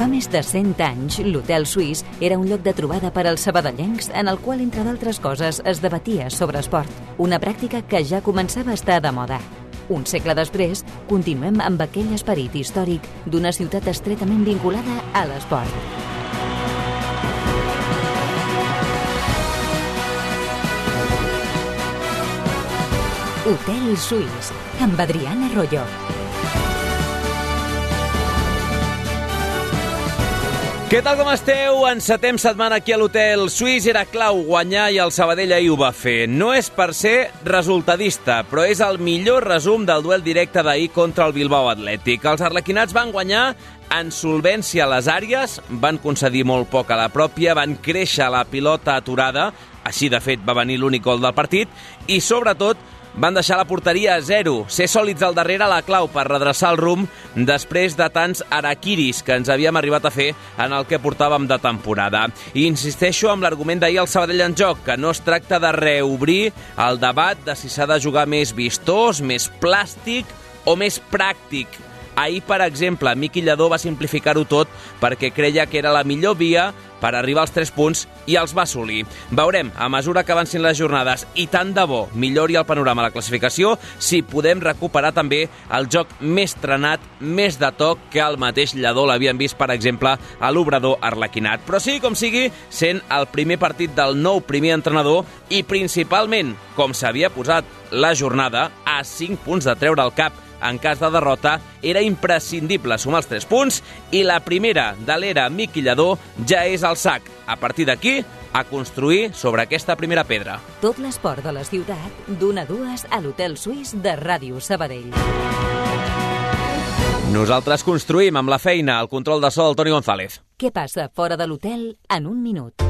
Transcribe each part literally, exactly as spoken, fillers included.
Fa més de cent anys, l'Hotel Suís era un lloc de trobada per als sabadellencs en el qual, entre d'altres coses, es debatia sobre esport, una pràctica que ja començava a estar de moda. Un segle després, continuem amb aquell esperit històric d'una ciutat estretament vinculada a l'esport. Hotel Suís, amb Adriana Arroyo. Què tal, com esteu? Encetem setmana aquí a l'Hotel Suís. Era clau guanyar i el Sabadell ahir ho va fer. No és per ser resultadista, però és el millor resum del duel directe d'ahir contra el Bilbao Atlètic. Els arlequinats van guanyar en solvència a les àrees, van concedir molt poc a la pròpia, van créixer la pilota aturada, així de fet va venir l'únic gol del partit, i sobretot van deixar la porteria a zero. Ser sòlids al darrere la clau per redreçar el rumb després de tants araquiris que ens havíem arribat a fer en el que portàvem de temporada. I insisteixo amb l'argument d'ahir al Sabadell en joc, que no es tracta de reobrir el debat de si s'ha de jugar més vistós, més plàstic o més pràctic. Ahir, per exemple, Miqui Lladó va simplificar-ho tot perquè creia que era la millor via per arribar als tres punts i els va assolir. Veurem, a mesura que avancin les jornades, i tant de bo millori el panorama a la classificació, si podem recuperar també el joc més trenat, més de toc, que el mateix Lladó l'havien vist, per exemple, a l'Obrador Arlequinat. Però sigui com sigui, sent el primer partit del nou primer entrenador i principalment, com s'havia posat la jornada, a cinc punts de treure el cap en cas de derrota, era imprescindible sumar els tres punts i la primera de l'era Miqui Lladó ja és al sac. A partir d'aquí, a construir sobre aquesta primera pedra. Tot l'esport de la ciutat, d'una a dues a l'Hotel Suís de Ràdio Sabadell. Nosaltres construïm amb la feina, el control de so del Toni González. Què passa fora de l'hotel en un minut?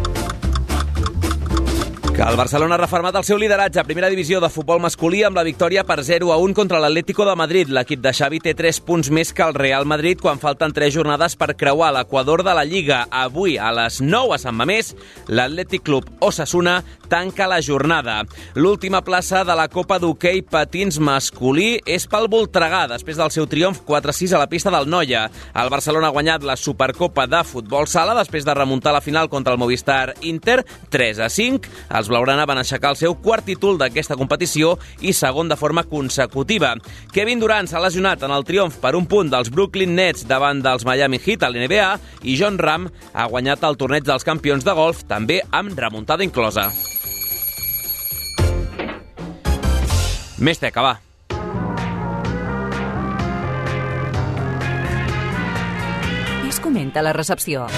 Que el Barcelona ha refermat el seu lideratge a primera divisió de futbol masculí amb la victòria per zero a un contra l'Atlético de Madrid. L'equip de Xavi té tres punts més que el Real Madrid quan falten tres jornades per creuar l'equador de la Lliga. Avui, a les nou a Sant Mamés, l'Atlètic Club Osasuna tanca la jornada. L'última plaça de la Copa d'Hoquei Patins masculí és pel Voltregà, després del seu triomf quatre a sis a la pista del Noia. El Barcelona ha guanyat la Supercopa de Futbol Sala després de remuntar la final contra el Movistar Inter tres a cinc. Els blaugrana van aixecar el seu quart títol d'aquesta competició i segon de forma consecutiva. Kevin Durant s'ha lesionat en el triomf per un punt dels Brooklyn Nets davant dels Miami Heat a l'N B A i Jon Rahm ha guanyat el torneig dels campions de golf, també amb remuntada inclosa. Més teca, va. Què es comenta a la recepció?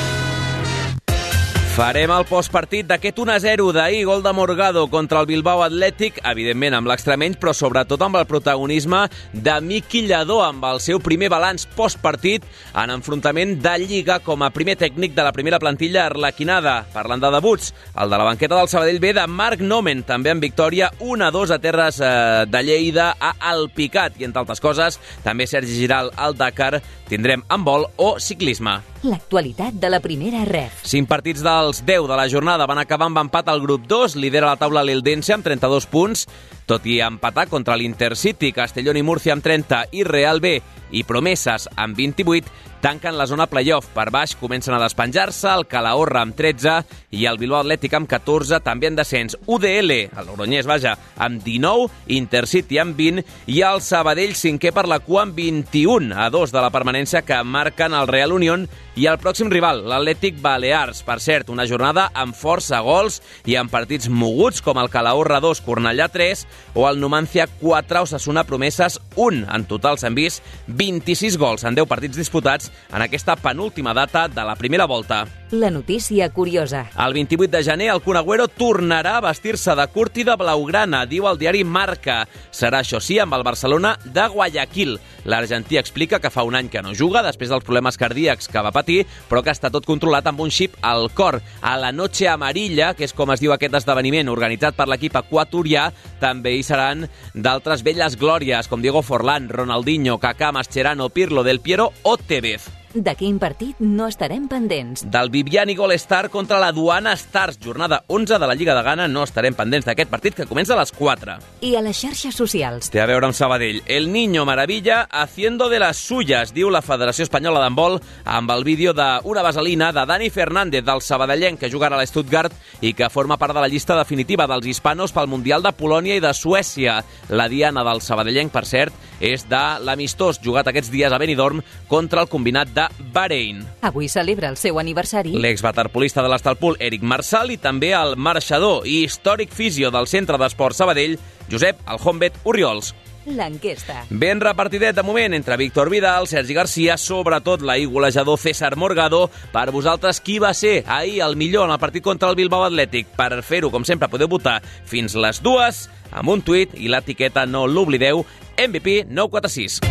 Farem el postpartit d'aquest un a zero d'ahir, gol de Morgado contra el Bilbao Atlètic, evidentment amb l'extremeny, però sobretot amb el protagonisme de Miqui Lladó, amb el seu primer balanç postpartit en enfrontament de Lliga com a primer tècnic de la primera plantilla arlequinada. Parlant de debuts, el de la banqueta del Sabadell ve de Marc Nomen, també en victòria un a dos a terres eh, de Lleida a Alpicat. I entre altres coses, també Sergi Giral al Dakar, tindrem handbol o ciclisme. L'actualitat de la primera ref. Cinc partits dels deu de la jornada van acabar amb empat al grup dos. Lidera la taula l'Eldense amb trenta-dos punts, tot i empatar contra l'Intercity, Castellón i Múrcia amb trenta i Real B i Promeses amb vint-i-vuit, tanquen la zona playoff. Per baix comencen a despenjar-se el Calahorra amb tretze i el Bilbao Atlètic amb catorze, també en descens. U D L, el Logroñés, vaja, amb dinou, Intercity amb vint i el Sabadell cinquè per la cua amb vint-i-un, a dos de la permanència que marquen el Real Unión i el pròxim rival, l'Atlètic Balears. Per cert, una jornada amb força gols i amb partits moguts com el Calahorra dos, Cornellà tres o el Numancia quatre, Osasuna Promeses un. En total s'han vist vint-i-sis gols en deu partits disputats en aquesta penúltima data de la primera volta. La notícia curiosa. El vint-i-vuit de gener el Kun Agüero tornarà a vestir-se de curt i de blaugrana, diu el diari Marca. Serà, això sí, amb el Barcelona de Guayaquil. L'argentí explica que fa un any que no juga després dels problemes cardíacs que va patir, però que està tot controlat amb un xip al cor. A la Noche Amarilla, que és com es diu aquest esdeveniment organitzat per l'equip equatorià, també hi seran d'altres velles glòries com Diego Forlán, Ronaldinho, Kaká, Mascherano, Pirlo, Del Piero o Tevez. De quin partit no estarem pendents? Del Viviani Gol Star contra la Duana Stars, jornada onze de la Lliga de Ghana. No estarem pendents d'aquest partit que comença a les quatre. I a les xarxes socials. Té a veure amb Sabadell. El Niño Maravilla haciendo de las suyas, diu la Federació Espanyola d'Handbol, amb el vídeo d'una vaselina de Dani Fernández, del sabadellenc que jugarà a l'Stuttgart i que forma part de la llista definitiva dels hispanos pel Mundial de Polònia i de Suècia. La diana del sabadellenc, per cert, és de l'amistós jugat aquests dies a Benidorm contra el combinat de Bahrein. Avui celebra el seu aniversari l'exwaterpolista de l'Estalpul, Eric Marsal, i també el marxador i històric fisio del Centre d'Esport Sabadell, Josep Aljombet Orriols. L'enquesta. Ben repartidet de moment entre Víctor Vidal, Sergi Garcia, sobretot l'ahir golejador César Morgado. Per vosaltres, qui va ser ahir el millor en el partit contra el Bilbao Atlètic? Per fer-ho, com sempre, podeu votar fins les dues amb un tuit i l'etiqueta, no l'oblideu, M V P nou quatre sis.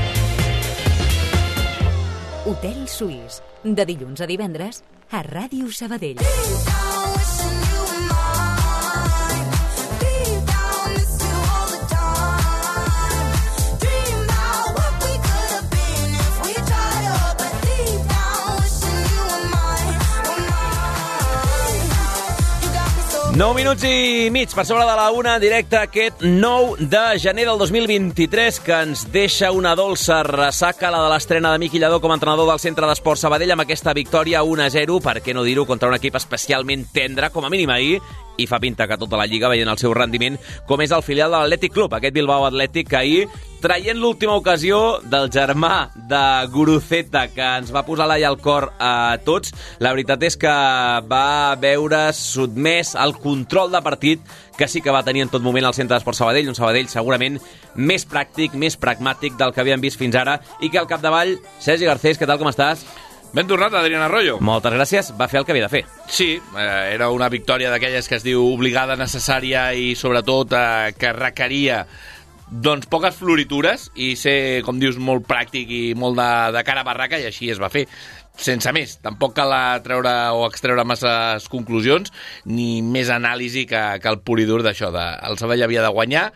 Hotel Suís, de dilluns a divendres a Ràdio Sabadell. nou minuts i mig per sobre de la una, directe aquest nou de gener del dos mil vint-i-tres, que ens deixa una dolça ressaca, la de l'estrena de Miqui Lladó com a entrenador del Centre d'Esport Sabadell, amb aquesta victòria un a zero, per què no dir-ho, contra un equip especialment tendre, com a mínim ahir, i fa pinta que tota la Lliga veient el seu rendiment, com és el filial de l'Atlètic Club, aquest Bilbao Atlètic que ahir, traient l'última ocasió del germà de Guruceta, que ens va posar l'ai al cor a tots, la veritat és que va veure sotmès el control de partit que sí que va tenir en tot moment el Centre d'Esport Sabadell, un Sabadell segurament més pràctic, més pragmàtic del que havíem vist fins ara, i que al capdavall, Sergi Garcés, què tal, com estàs? Ben tornat, Adrián Arroyo. Moltes gràcies, va fer el que havia de fer. Sí, eh, era una victòria d'aquelles que es diu obligada, necessària i sobretot eh, que requeria doncs poques floritures i ser, com dius, molt pràctic i molt de, de cara a barraca, i així es va fer. Sense més, tampoc cal treure o extreure masses conclusions ni més anàlisi que, que el pur i dur d'això. De, el Sabadell havia de guanyar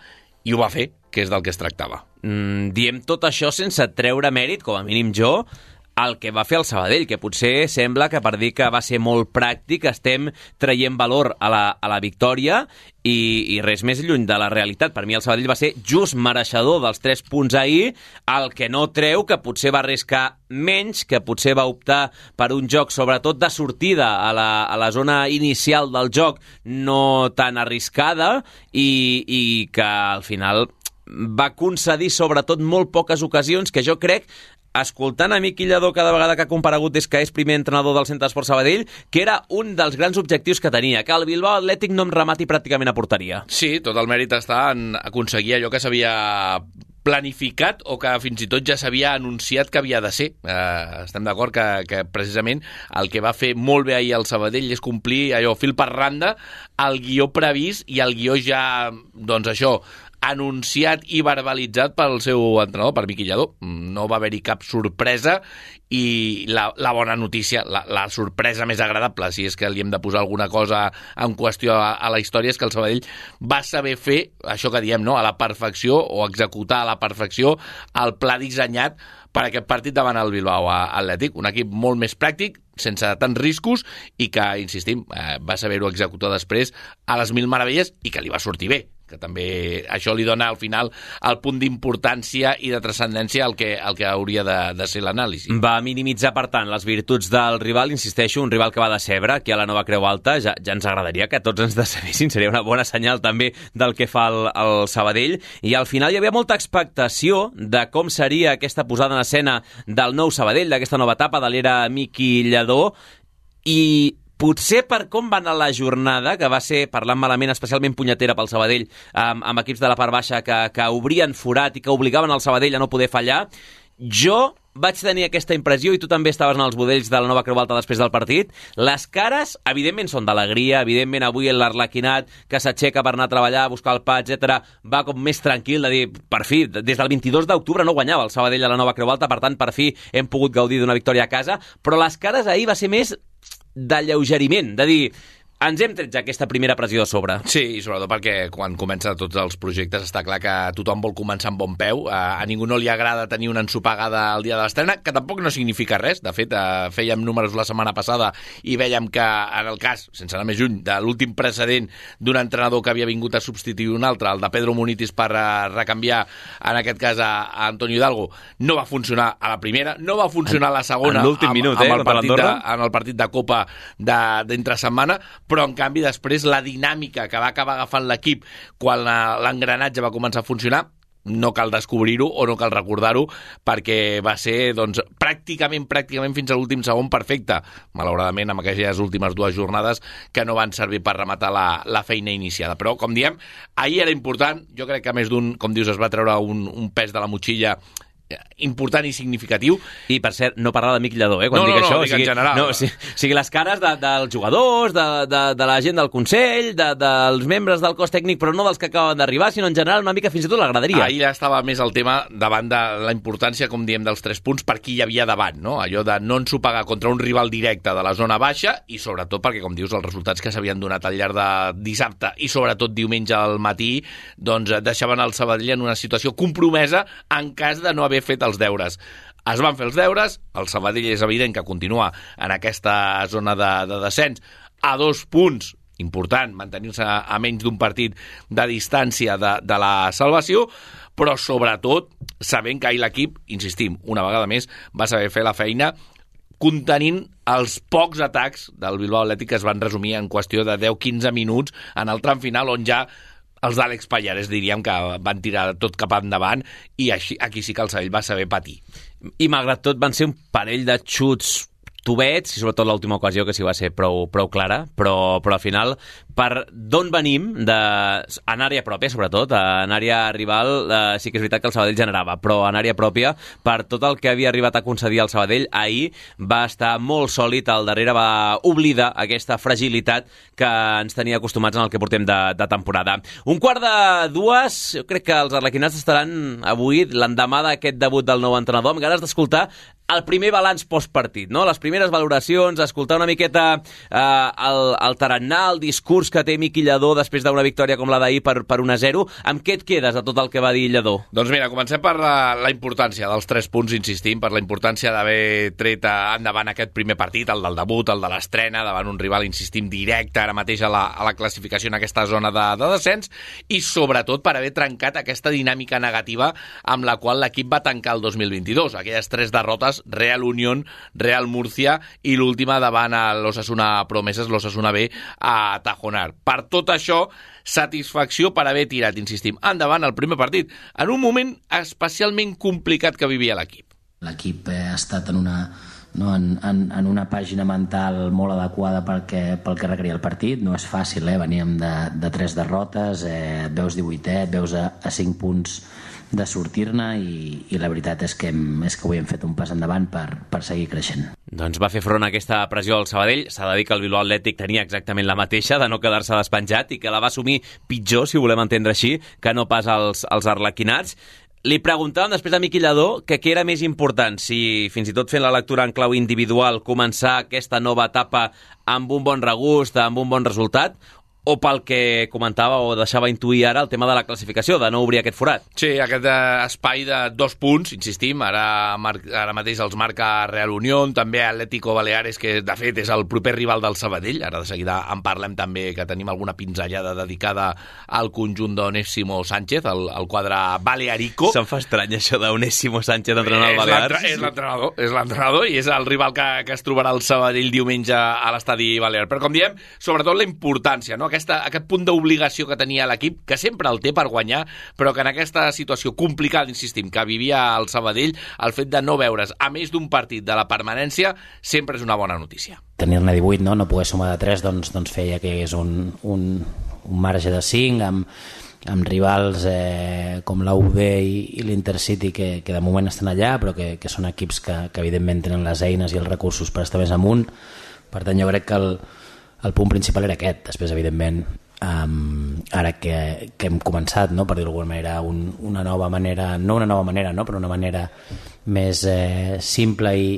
i ho va fer, que és del que es tractava. Mm, diem tot això sense treure mèrit, com a mínim jo, el que va fer el Sabadell, que potser sembla que per dir que va ser molt pràctic estem traient valor a la, a la victòria i, i res més lluny de la realitat. Per mi el Sabadell va ser just mereixedor dels tres punts ahir, el que no treu que potser va arriscar menys, que potser va optar per un joc sobretot de sortida a la, a la zona inicial del joc no tan arriscada i, i que al final va concedir sobretot molt poques ocasions que jo crec, escoltant a Miqui Lladó cada vegada que ha comparegut des que és primer entrenador del Centre d'Esport Sabadell, que era un dels grans objectius que tenia, que el Bilbao Atlètic no em remati pràcticament a porteria. Sí, tot el mèrit està en aconseguir allò que s'havia planificat o que fins i tot ja s'havia anunciat que havia de ser. Eh, estem d'acord que, que precisament el que va fer molt bé ahir el Sabadell és complir allò fil per randa el guió previst i el guió ja, doncs això, anunciat i verbalitzat pel seu entrenador, per Miqui Lladó. No va haver-hi cap sorpresa i la, la bona notícia, la, la sorpresa més agradable, si és que li hem de posar alguna cosa en qüestió a, a la història, és que el Sabadell va saber fer això que diem, no?, a la perfecció, o executar a la perfecció el pla dissenyat per aquest partit davant el Bilbao Atlètic. Un equip molt més pràctic, sense tants riscos, i que, insistim, eh, va saber-ho executar després a les mil meravelles i que li va sortir bé, que també això li dona al final el punt d'importància i de transcendència al que, al que hauria de, de ser l'anàlisi. Va minimitzar, per tant, les virtuts del rival, insisteixo, un rival que va decebre, aquí a la Nova Creu Alta, ja, ja ens agradaria que tots ens decebessin, seria una bona senyal també del que fa el, el Sabadell, i al final hi havia molta expectació de com seria aquesta posada en escena del nou Sabadell, d'aquesta nova etapa de l'era Miqui Lladó, i potser per com va anar la jornada, que va ser, parlant malament, especialment punyetera pel Sabadell, amb, amb equips de la part baixa que, que obrien forat i que obligaven el Sabadell a no poder fallar, jo vaig tenir aquesta impressió, i tu també estaves en els budells de la Nova Creu Alta després del partit. Les cares, evidentment, són d'alegria, evidentment avui l'Arlequinat, que s'aixeca per anar a treballar, a buscar el pa, etcètera, va com més tranquil de dir, per fi, des del vint-i-dos d'octubre no guanyava el Sabadell a la Nova Creu Alta, per tant, per fi hem pogut gaudir d'una victòria a casa, però les cares ahir va ser més d'alleugeriment, de dir, ens hem tret ja aquesta primera pressió a sobre. Sí, i sobretot perquè quan comença tots els projectes està clar que tothom vol començar amb bon peu. A ningú no li agrada tenir una ensopegada el dia de l'estrena, que tampoc no significa res. De fet, fèiem números la setmana passada i vèiem que, en el cas, sense anar més lluny, de l'últim precedent d'un entrenador que havia vingut a substituir un altre, el de Pedro Munitis per recanviar, en aquest cas, a Antonio Hidalgo, no va funcionar a la primera, no va funcionar a la segona, en l'últim minut, amb, amb eh, el partit de, en el partit de Copa d'entre setmana, però en canvi després la dinàmica que va acabar agafant l'equip quan l'engranatge va començar a funcionar no cal descobrir-ho o no cal recordar-ho, perquè va ser doncs, pràcticament, pràcticament fins a l'últim segon perfecte. Malauradament, amb aquelles últimes dues jornades que no van servir per rematar la, la feina iniciada. Però, com diem, ahir era important. Jo crec que més d'un, com dius, es va treure un, un pes de la motxilla important i significatiu. I, per cert, no parlar de Miqui Lladó, eh, quan no, dic no, això. No, dic en general. No, o sigui, o sigui, les cares de, dels jugadors, de, de, de la gent del Consell, de, dels membres del cos tècnic, però no dels que acaben d'arribar, sinó en general una mica fins i tot l'agradaria. Ahir estava més el tema davant de la importància, com diem, dels tres punts per qui hi havia davant, no? Allò de no ensopegar contra un rival directe de la zona baixa i sobretot perquè, com dius, els resultats que s'havien donat al llarg de dissabte i sobretot diumenge al matí, doncs deixaven el Sabadell en una situació compromesa en cas de no haver fet els deures. Es van fer els deures, el Sabadell és evident que continua en aquesta zona de, de descens a dos punts, important, mantenir-se a menys d'un partit de distància de, de la salvació, però sobretot sabent que ahir l'equip, insistim, una vegada més, va saber fer la feina contenint els pocs atacs del Bilbao Athletic que es van resumir en qüestió de deu a quinze minuts en el tram final, on ja els d'Àlex Pallares diríem que van tirar tot cap endavant i així, aquí sí que el Sabadell va saber patir. I malgrat tot van ser un parell de xuts tubets, i sobretot l'última ocasió que sí va ser prou, prou clara, però, però al final, per d'on venim, de, en àrea pròpia sobretot, en àrea rival eh, sí que és veritat que el Sabadell generava, però en àrea pròpia, per tot el que havia arribat a concedir el Sabadell, ahir va estar molt sòlid, al darrere va oblidar aquesta fragilitat que ens tenia acostumats en el que portem de, de temporada. Un quart de dues, jo crec que els arlequinats estaran avui, l'endemà d'aquest debut del nou entrenador, amb ganes d'escoltar el primer balanç postpartit, no? Les primeres valoracions, escoltar una miqueta eh, el, el tarannà, el discurs que té Miqui Lladó després d'una victòria com la d'ahir per, per un a zero. Amb què et quedes de tot el que va dir Lladó? Doncs mira, comencem per la, la importància dels tres punts, insistim, per la importància d'haver tret endavant aquest primer partit, el del debut, el de l'estrena, davant un rival, insistim, directe ara mateix a la, a la classificació en aquesta zona de, de descens, i sobretot per haver trencat aquesta dinàmica negativa amb la qual l'equip va tancar el dos mil vint-i-dos, aquelles tres derrotes, Real Unión, Real Murcia i l'última davant a l'Osasuna Promeses, l'Osasuna B a Tajonar. Per tot això, satisfacció per haver tirat, insistim, endavant el primer partit, en un moment especialment complicat que vivia l'equip. L'equip ha estat en una, no, en, en, en una pàgina mental molt adequada perquè, pel que requeria el partit. No és fàcil, eh? Veníem de, de tres derrotes, eh, et veus divuitè, et veus a, a cinc punts de sortir-ne i, i la veritat és que, hem, és que avui hem fet un pas endavant per, per seguir creixent. Doncs va fer front a aquesta pressió al Sabadell. S'ha de dir que el Bilbao Athletic tenia exactament la mateixa, de no quedar-se despenjat, i que la va assumir pitjor, si ho volem entendre així, que no pas els, els arlequinats. Li preguntàvem després a Miqui Lladó que què era més important, si fins i tot fent la lectura en clau individual començar aquesta nova etapa amb un bon regust, amb un bon resultat, o pel que comentava o deixava intuir ara el tema de la classificació, de no obrir aquest forat. Sí, aquest eh, espai de dos punts, insistim, ara, ara mateix els marca Real Unión, també Atlético Baleares, que de fet és el proper rival del Sabadell, ara de seguida en parlem també, que tenim alguna pinzellada dedicada al conjunt d'Onésimo Sánchez, el, el quadre balearico. Se'm fa estrany això d'Onésimo Sánchez entrenant al Balears. És l'entrenador, és l'entrenador i és el rival que, que es trobarà el Sabadell diumenge a l'estadi Balear. Però com diem, sobretot la importància, no? Aquesta, aquest punt d'obligació que tenia l'equip, que sempre el té per guanyar, però que en aquesta situació complicada, insistim, que vivia el Sabadell, el fet de no veure's a més d'un partit de la permanència sempre és una bona notícia. Tenir-ne divuit, no? No poder sumar de tres, doncs, doncs feia que és un, un, un marge de cinc, amb, amb rivals eh, com la U B i, i l'Intercity, que, que de moment estan allà, però que, que són equips que, que evidentment tenen les eines i els recursos per estar més amunt. Per tant, jo crec que el El punt principal era aquest. Després, evidentment, um, ara que, que hem començat, no, per dir-ho d'alguna manera, un, una nova manera, no una nova manera, no, però una manera més eh, simple i,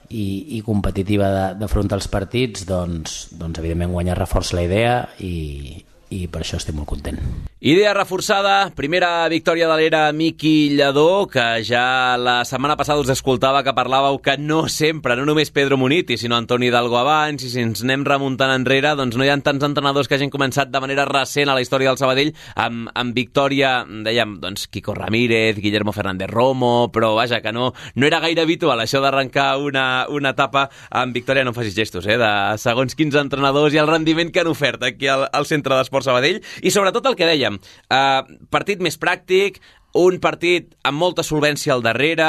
i, i competitiva d'afrontar els partits, doncs, doncs evidentment guanyar reforça la idea i, i per això estic molt content. Idea reforçada, primera victòria de l'era Miqui Lladó, que ja la setmana passada us escoltava que parlàveu que no sempre, no només Pedro Muniti, sinó Antoni Hidalgo abans, i si ens anem remuntant enrere, doncs no hi ha tants entrenadors que hagin començat de manera recent a la història del Sabadell amb, amb victòria, dèiem, doncs Quico Ramírez, Guillermo Fernández Romo, però vaja, que no, no era gaire habitual això d'arrencar una, una etapa amb victòria, no em facis gestos, eh, de segons quins entrenadors i el rendiment que han ofert aquí al, al Centre d'Esports Sabadell, i sobretot el que dèiem, Uh, partit més pràctic, un partit amb molta solvència al darrere,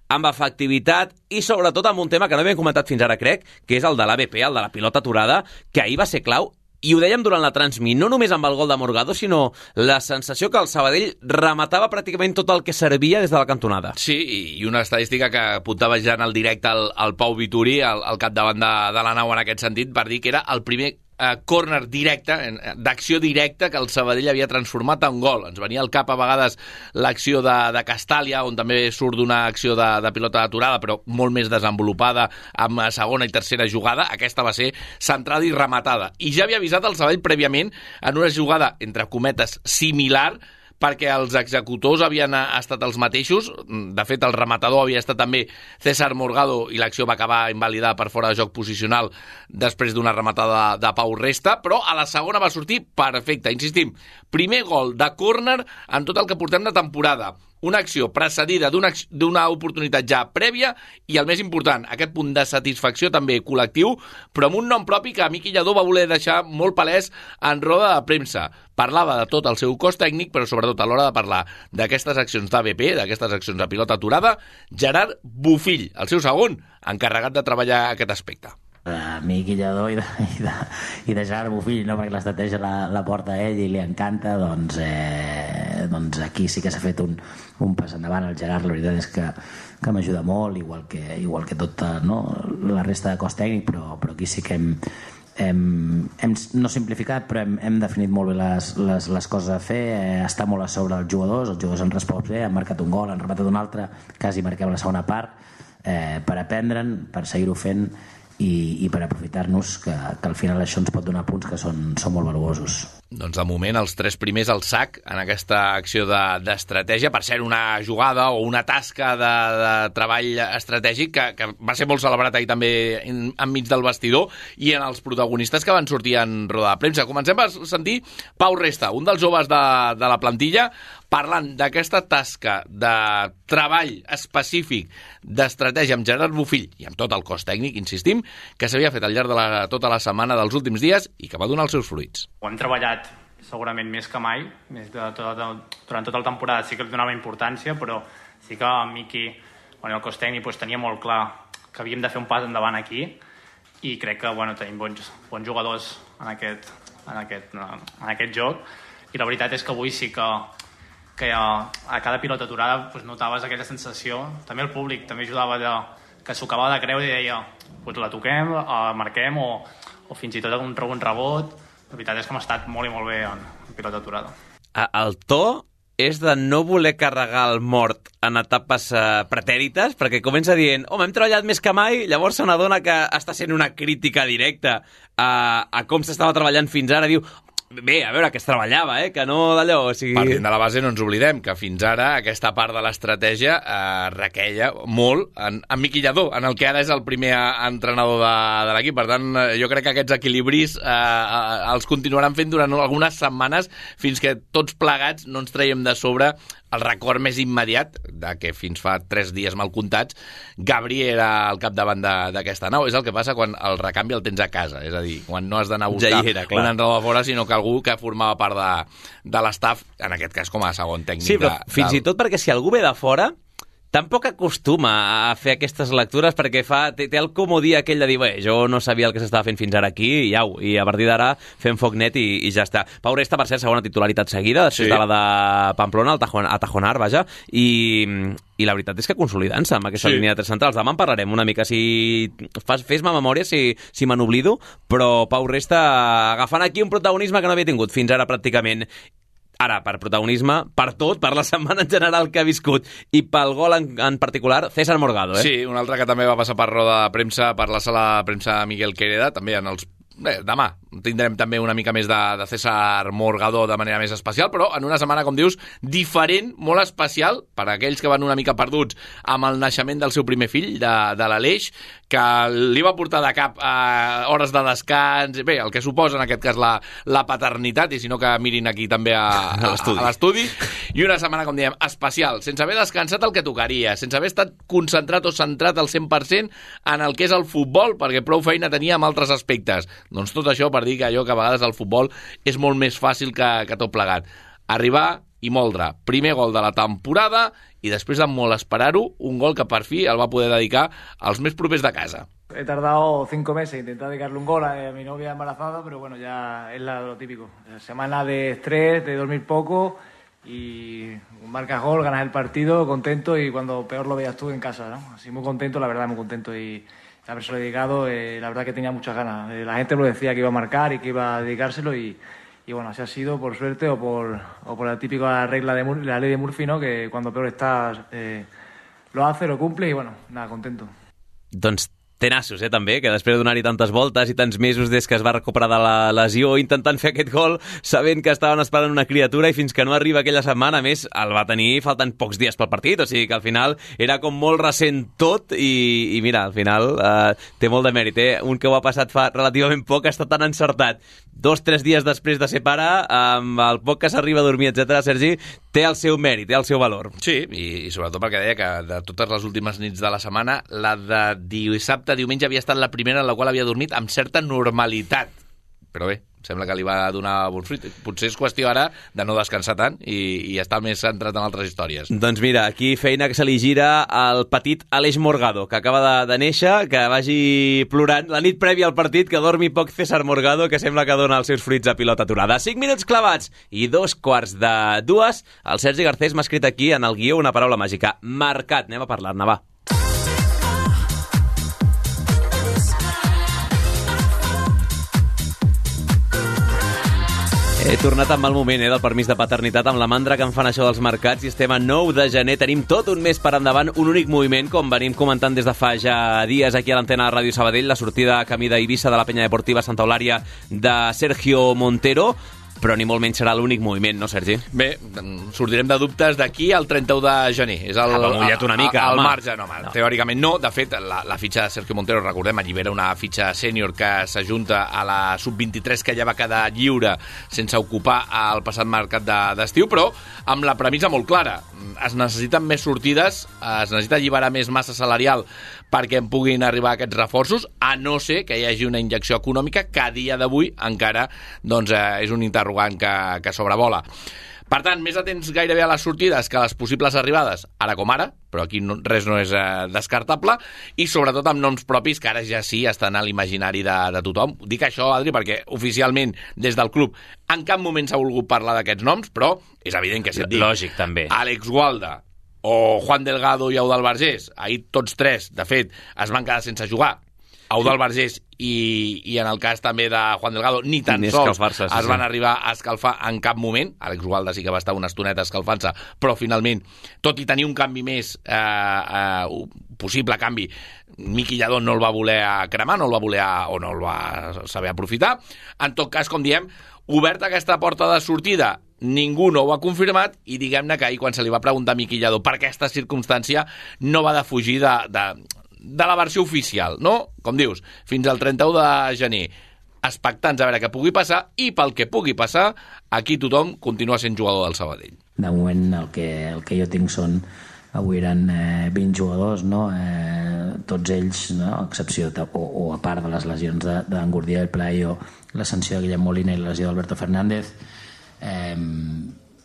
amb efectivitat i sobretot amb un tema que no havíem comentat fins ara, crec, que és el de l'A B P, el de la pilota aturada, que ahir va ser clau, i ho dèiem durant la transmit, no només amb el gol de Morgado, sinó la sensació que el Sabadell rematava pràcticament tot el que servia des de la cantonada. Sí, i una estadística que apuntava ja en el directe al, al Pau Vituri, al, al capdavant de, de la nau en aquest sentit, per dir que era el primer Uh, córner directe, d'acció directa que el Sabadell havia transformat en gol. Ens venia al cap a vegades l'acció de, de Castàlia, on també surt d'una acció de, de pilota aturada, però molt més desenvolupada, amb segona i tercera jugada. Aquesta va ser centrada i rematada. I ja havia avisat el Sabadell prèviament en una jugada, entre cometes, similar, perquè els executors havien estat els mateixos. De fet, el rematador havia estat també César Morgado i l'acció va acabar invalidada per fora de joc posicional després d'una rematada de Pau Resta, però a la segona va sortir perfecte. Insistim, primer gol de córner en tot el que portem de temporada. Una acció precedida d'una d'una oportunitat ja prèvia i, el més important, aquest punt de satisfacció també col·lectiu, però amb un nom propi que Miqui Lladó va voler deixar molt palès en roda de premsa. Parlava de tot el seu cos tècnic, però sobretot a l'hora de parlar d'aquestes accions d'A B P, d'aquestes accions de pilota aturada, Gerard Bofill, el seu segon, encarregat de treballar aquest aspecte. De Miqui Lladó i de, i de, i de Gerard Bofill, no? Perquè l'estratègia la, la porta a ell i li encanta, doncs, eh, doncs aquí sí que s'ha fet un, un pas endavant. El Gerard, la veritat és que, que m'ajuda molt, igual que, igual que tota, no, la resta de cos tècnic, però, però aquí sí que hem, hem, hem no simplificat, però hem, hem definit molt bé les, les, les coses a fer, eh, està molt a sobre els jugadors, els jugadors han respost bé, han marcat un gol, han rematat un altre, quasi marquem la segona part, eh, per aprendre'n, per seguir-ho fent, i, i per aprofitar-nos, que, que al final això ens pot donar punts que són, són molt valuosos. Doncs de moment els tres primers al sac en aquesta acció d'estratègia, de, per ser una jugada o una tasca de, de treball estratègic que, que va ser molt celebrat ahir també en, enmig del vestidor i en els protagonistes que van sortir en roda de premsa. Comencem a sentir Pau Resta, un dels joves de, de la plantilla, parlant d'aquesta tasca de treball específic d'estratègia amb Gerard Bofill i amb tot el cos tècnic, insistim, que s'havia fet al llarg de la, tota la setmana dels últims dies i que va donar els seus fruits. Ho hem treballat segurament més que mai, més de tota, durant tota la temporada sí que li donava importància, però sí que el Miqui, bueno, el cos tècnic, doncs, tenia molt clar que havíem de fer un pas endavant aquí i crec que bueno, tenim bons, bons jugadors en aquest, en, aquest, en aquest joc i la veritat és que avui sí que que a, a cada pilota aturada pues, notaves aquella sensació, també el públic també ajudava de, que s'ho acabava de creure i deia, pues, la toquem, la marquem o, o fins i tot un, un rebot. La veritat és que hem estat molt i molt bé en, en pilota aturada. El to és de no voler carregar el mort en etapes uh, pretèrites, perquè comença dient, home, hem treballat més que mai, llavors se n'adona que està sent una crítica directa a, a com s'estava treballant fins ara, diu, bé, a veure, que es treballava, eh? Que no d'allò, o sigui... Partint de la base no ens oblidem que fins ara aquesta part de l'estratègia eh, requeia molt en, en Miqui Lladó, en el que ara és el primer entrenador de, de l'equip. Per tant, jo crec que aquests equilibris eh, eh, els continuaran fent durant algunes setmanes fins que tots plegats no ens traiem de sobre el record més immediat de que fins fa tres dies mal comptats Gabri era al capdavant d'aquesta nau. És el que passa quan el recanvi el tens a casa, és a dir, quan no has d'anar a buscar ja era, un entrenador de fora, sinó que algú que formava part de, de l'estaf, en aquest cas com a segon tècnic. Sí, però de, fins del... i tot perquè si algú ve de fora tampoc acostuma a fer aquestes lectures perquè fa, té, té el comodí aquell de dir, bé, jo no sabia el que s'estava fent fins ara aquí i au, i a partir d'ara fem foc net i, i ja està. Pau Resta, per cert, segona titularitat seguida, després sí. de la de Pamplona, el Tajon, a Tajonar, vaja, i, i la veritat és que consolidant-se amb aquesta sí. línia de tres centrals. Demà en parlarem una mica, si fas, fes-me memòria si, si me n'oblido, però Pau Resta agafant aquí un protagonisme que no havia tingut fins ara pràcticament. Ara, per protagonisme, per tot, per la setmana en general que ha viscut i pel gol en, en particular, César Morgado, eh? Sí, un altre que també va passar per roda de premsa, per la sala de premsa Miguel Quereda, també en els... Bé, demà tindrem també una mica més de, de César Morgado de manera més especial, però en una setmana, com dius, diferent, molt especial, per a aquells que van una mica perduts amb el naixement del seu primer fill, de, de l'Aleix, que li va portar de cap eh, hores de descans, bé, el que suposa en aquest cas la, la paternitat, i si no que mirin aquí també a, a, a l'estudi, i una setmana, com diem, especial, sense haver descansat el que tocaria, sense haver estat concentrat o centrat al cent per cent en el que és el futbol, perquè prou feina tenia amb altres aspectes. Doncs tot això per dir que allò que a vegades el futbol és molt més fàcil que, que tot plegat. Arribar i moldre. Primer gol de la temporada i després de molt esperar-ho, un gol que per fi el va poder dedicar als més propers de casa. He tardado cinco meses en intentar dedicarle un gol a mi novia embarazada, pero bueno, ya es lo típico. Semana de estrés, de dormir poco y marcas gol, ganas el partido, contento y cuando peor lo veías tú en casa, ¿no? Así muy contento, la verdad, muy contento y... haberse dedicado, eh, la verdad que tenía muchas ganas. Eh, la gente lo decía que iba a marcar y que iba a dedicárselo y, y bueno, así ha sido por suerte o por, o por la típica regla de Mur- la ley de Murphy, ¿no? Que cuando peor estás eh, lo hace, lo cumple y bueno, nada, contento. Doncs tenaços, eh, també, que després de donar-hi tantes voltes i tants mesos des que es va recuperar de la lesió intentant fer aquest gol, sabent que estaven esperant una criatura i fins que no arriba aquella setmana, a més, el va tenir faltant pocs dies pel partit, o sigui que al final era com molt recent tot i, i mira, al final eh, té molt de mèrit, eh? Un que ho ha passat fa relativament poc està tan encertat. Dos, tres dies després de ser pare, amb el poc que s'arriba a dormir, etcètera, Sergi, té el seu mèrit, té el seu valor. Sí, i, i sobretot perquè deia que de totes les últimes nits de la setmana, la de dissabte, diumenge havia estat la primera en la qual havia dormit amb certa normalitat. Però bé, sembla que li va donar bon fruit. Potser és qüestió ara de no descansar tant i, i estar més centrat en altres històries. Doncs mira, aquí feina que se li gira al petit Aleix Morgado, que acaba de, de néixer, que vagi plorant la nit prèvia al partit, que dormi poc César Morgado, que sembla que dona els seus fruits a pilota aturada. Cinc minuts clavats i dos quarts de dues. El Sergi Garcés m'ha escrit aquí en el guió una paraula màgica. Marcat. Anem a parlar-ne, va. He tornat amb el moment eh, del permís de paternitat, amb la mandra que em fan això dels mercats, i estem a nou de gener, tenim tot un mes per endavant, un únic moviment, com venim comentant des de fa ja dies aquí a l'antena de Ràdio Sabadell, la sortida a camí d'Eivissa de la penya deportiva Santa Eulària de Sergio Montero, però ni molt menys serà l'únic moviment, no, Sergi? Bé, sortirem de dubtes d'aquí al trenta-u de gener. És el, ah, mullat una mica, el, el home. marge, no, no, teòricament no. De fet, la, la fitxa de Sergio Montero, recordem, allibera una fitxa sènior que s'ajunta a la sub vint-i-tres que ja va quedar lliure sense ocupar el passat mercat d'estiu, però amb la premissa molt clara. Es necessiten més sortides, es necessita alliberar més massa salarial perquè en puguin arribar aquests reforços, a no ser que hi hagi una injecció econòmica que a dia d'avui encara doncs, eh, és un interrogant que, que sobrevola. Per tant, més atents gairebé a les sortides que a les possibles arribades, ara com ara, però aquí no, res no és eh, descartable, i sobretot amb noms propis que ara ja sí estan a l'imaginari de, de tothom. Dic això, Adri, perquè oficialment des del club en cap moment s'ha volgut parlar d'aquests noms, però és evident que si et dic Lògic, també. Àlex Gualda o Juan Delgado i Eudald Vergés, ahir tots tres, de fet, es van quedar sense jugar, Eudald Vergés i, i en el cas també de Juan Delgado ni tan ni sols sí, es van sí. arribar a escalfar en cap moment. Àlex Gualda sí que va estar una estoneta escalfant-se, però finalment, tot i tenir un canvi més, eh, eh, un possible canvi, Miqui Lladó no el va voler cremar, no el va voler o no el va saber aprofitar. En tot cas, com diem, oberta aquesta porta de sortida, ningú no ho ha confirmat, i diguem-ne que ahir quan se li va preguntar a Miqui Lladó per aquesta circumstància no va defugir de, de, de la versió oficial, no? Com dius, fins al trenta-u de gener, expectants a veure què pugui passar, i pel que pugui passar, aquí tothom continua sent jugador del Sabadell. De moment el que, el que jo tinc són, avui eren eh, vint jugadors, no? eh, tots ells, no? A excepció de, o, o a part de les lesions d'en Gurdia i el Playo, la sanció de Guillem Molina i la lesió d'Alberto Fernández, eh,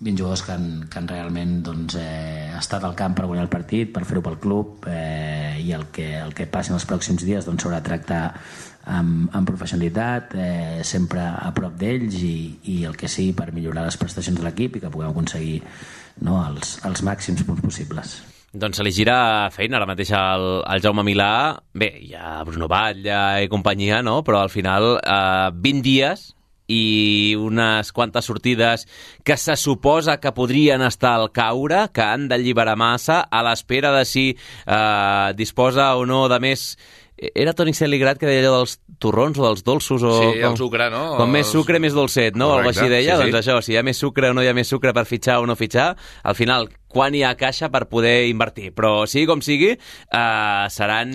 vint jugadors que han, que han realment doncs, eh, estat al camp per guanyar el partit, per fer-ho pel club, eh, i el que, el que passi en els pròxims dies doncs, s'haurà de tractar amb, amb professionalitat, eh, sempre a prop d'ells, i, i el que sigui per millorar les prestacions de l'equip i que puguem aconseguir, no, els, els màxims punts possibles. Doncs se li gira feina ara mateix al, al Jaume Milà. Bé, hi ha Bruno Batlle i companyia, no? Però al final eh, vint dies i unes quantes sortides que se suposa que podrien estar al caure, que han d'alliberar massa, a l'espera de si eh, disposa o no de més... Era Toni Celigrat que deia allò dels torrons o dels dolços? O sí, com, el sucre, no? Com més sucre, més dolcet, no? Correcte, o així deia, sí, sí. Doncs això, si hi ha més sucre o no hi ha més sucre per fitxar o no fitxar, al final, quan hi ha caixa per poder invertir. Però sigui com sigui, eh, seran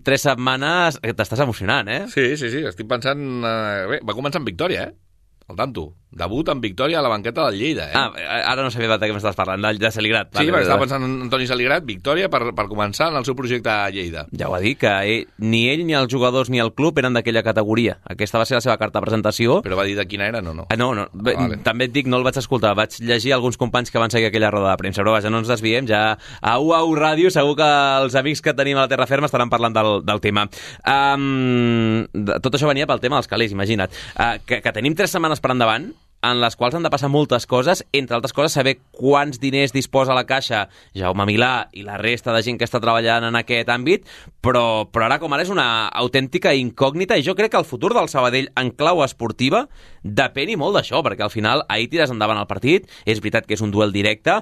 tres setmanes... T'estàs emocionant, eh? Sí, sí, sí, estic pensant... Eh, bé, va començar amb victòria, eh? Al tanto. Debut amb victòria a la banqueta del Lleida, eh? Ah, ara no sabia de què m'estàs parlant, de, de Celigrat. Sí, perquè estava pensant en Antoni Celigrat, victòria per, per començar en el seu projecte a Lleida. Ja ho va dir, que ell, ni ell, ni els jugadors, ni el club eren d'aquella categoria. Aquesta va ser la seva carta de presentació. Però va dir de quina era, no? No, ah, no, no. Ah, vale. També et dic, no el vaig escoltar, vaig llegir alguns companys que van seguir aquella roda de premsa, però vaja, no ens desviem, ja a U A U Ràdio segur que els amics que tenim a la Terra Ferma estaran parlant del, del tema. Um, tot això venia pel tema dels calés, imagina't. Uh, que, que tenim tres setmanes per endavant, en les quals han de passar moltes coses, entre altres coses saber quants diners disposa la Caixa Jaume Milà i la resta de gent que està treballant en aquest àmbit, però, però ara com ara és una autèntica incògnita, i jo crec que el futur del Sabadell en clau esportiva depèn i molt d'això, perquè al final ahir tires endavant el partit, és veritat que és un duel directe,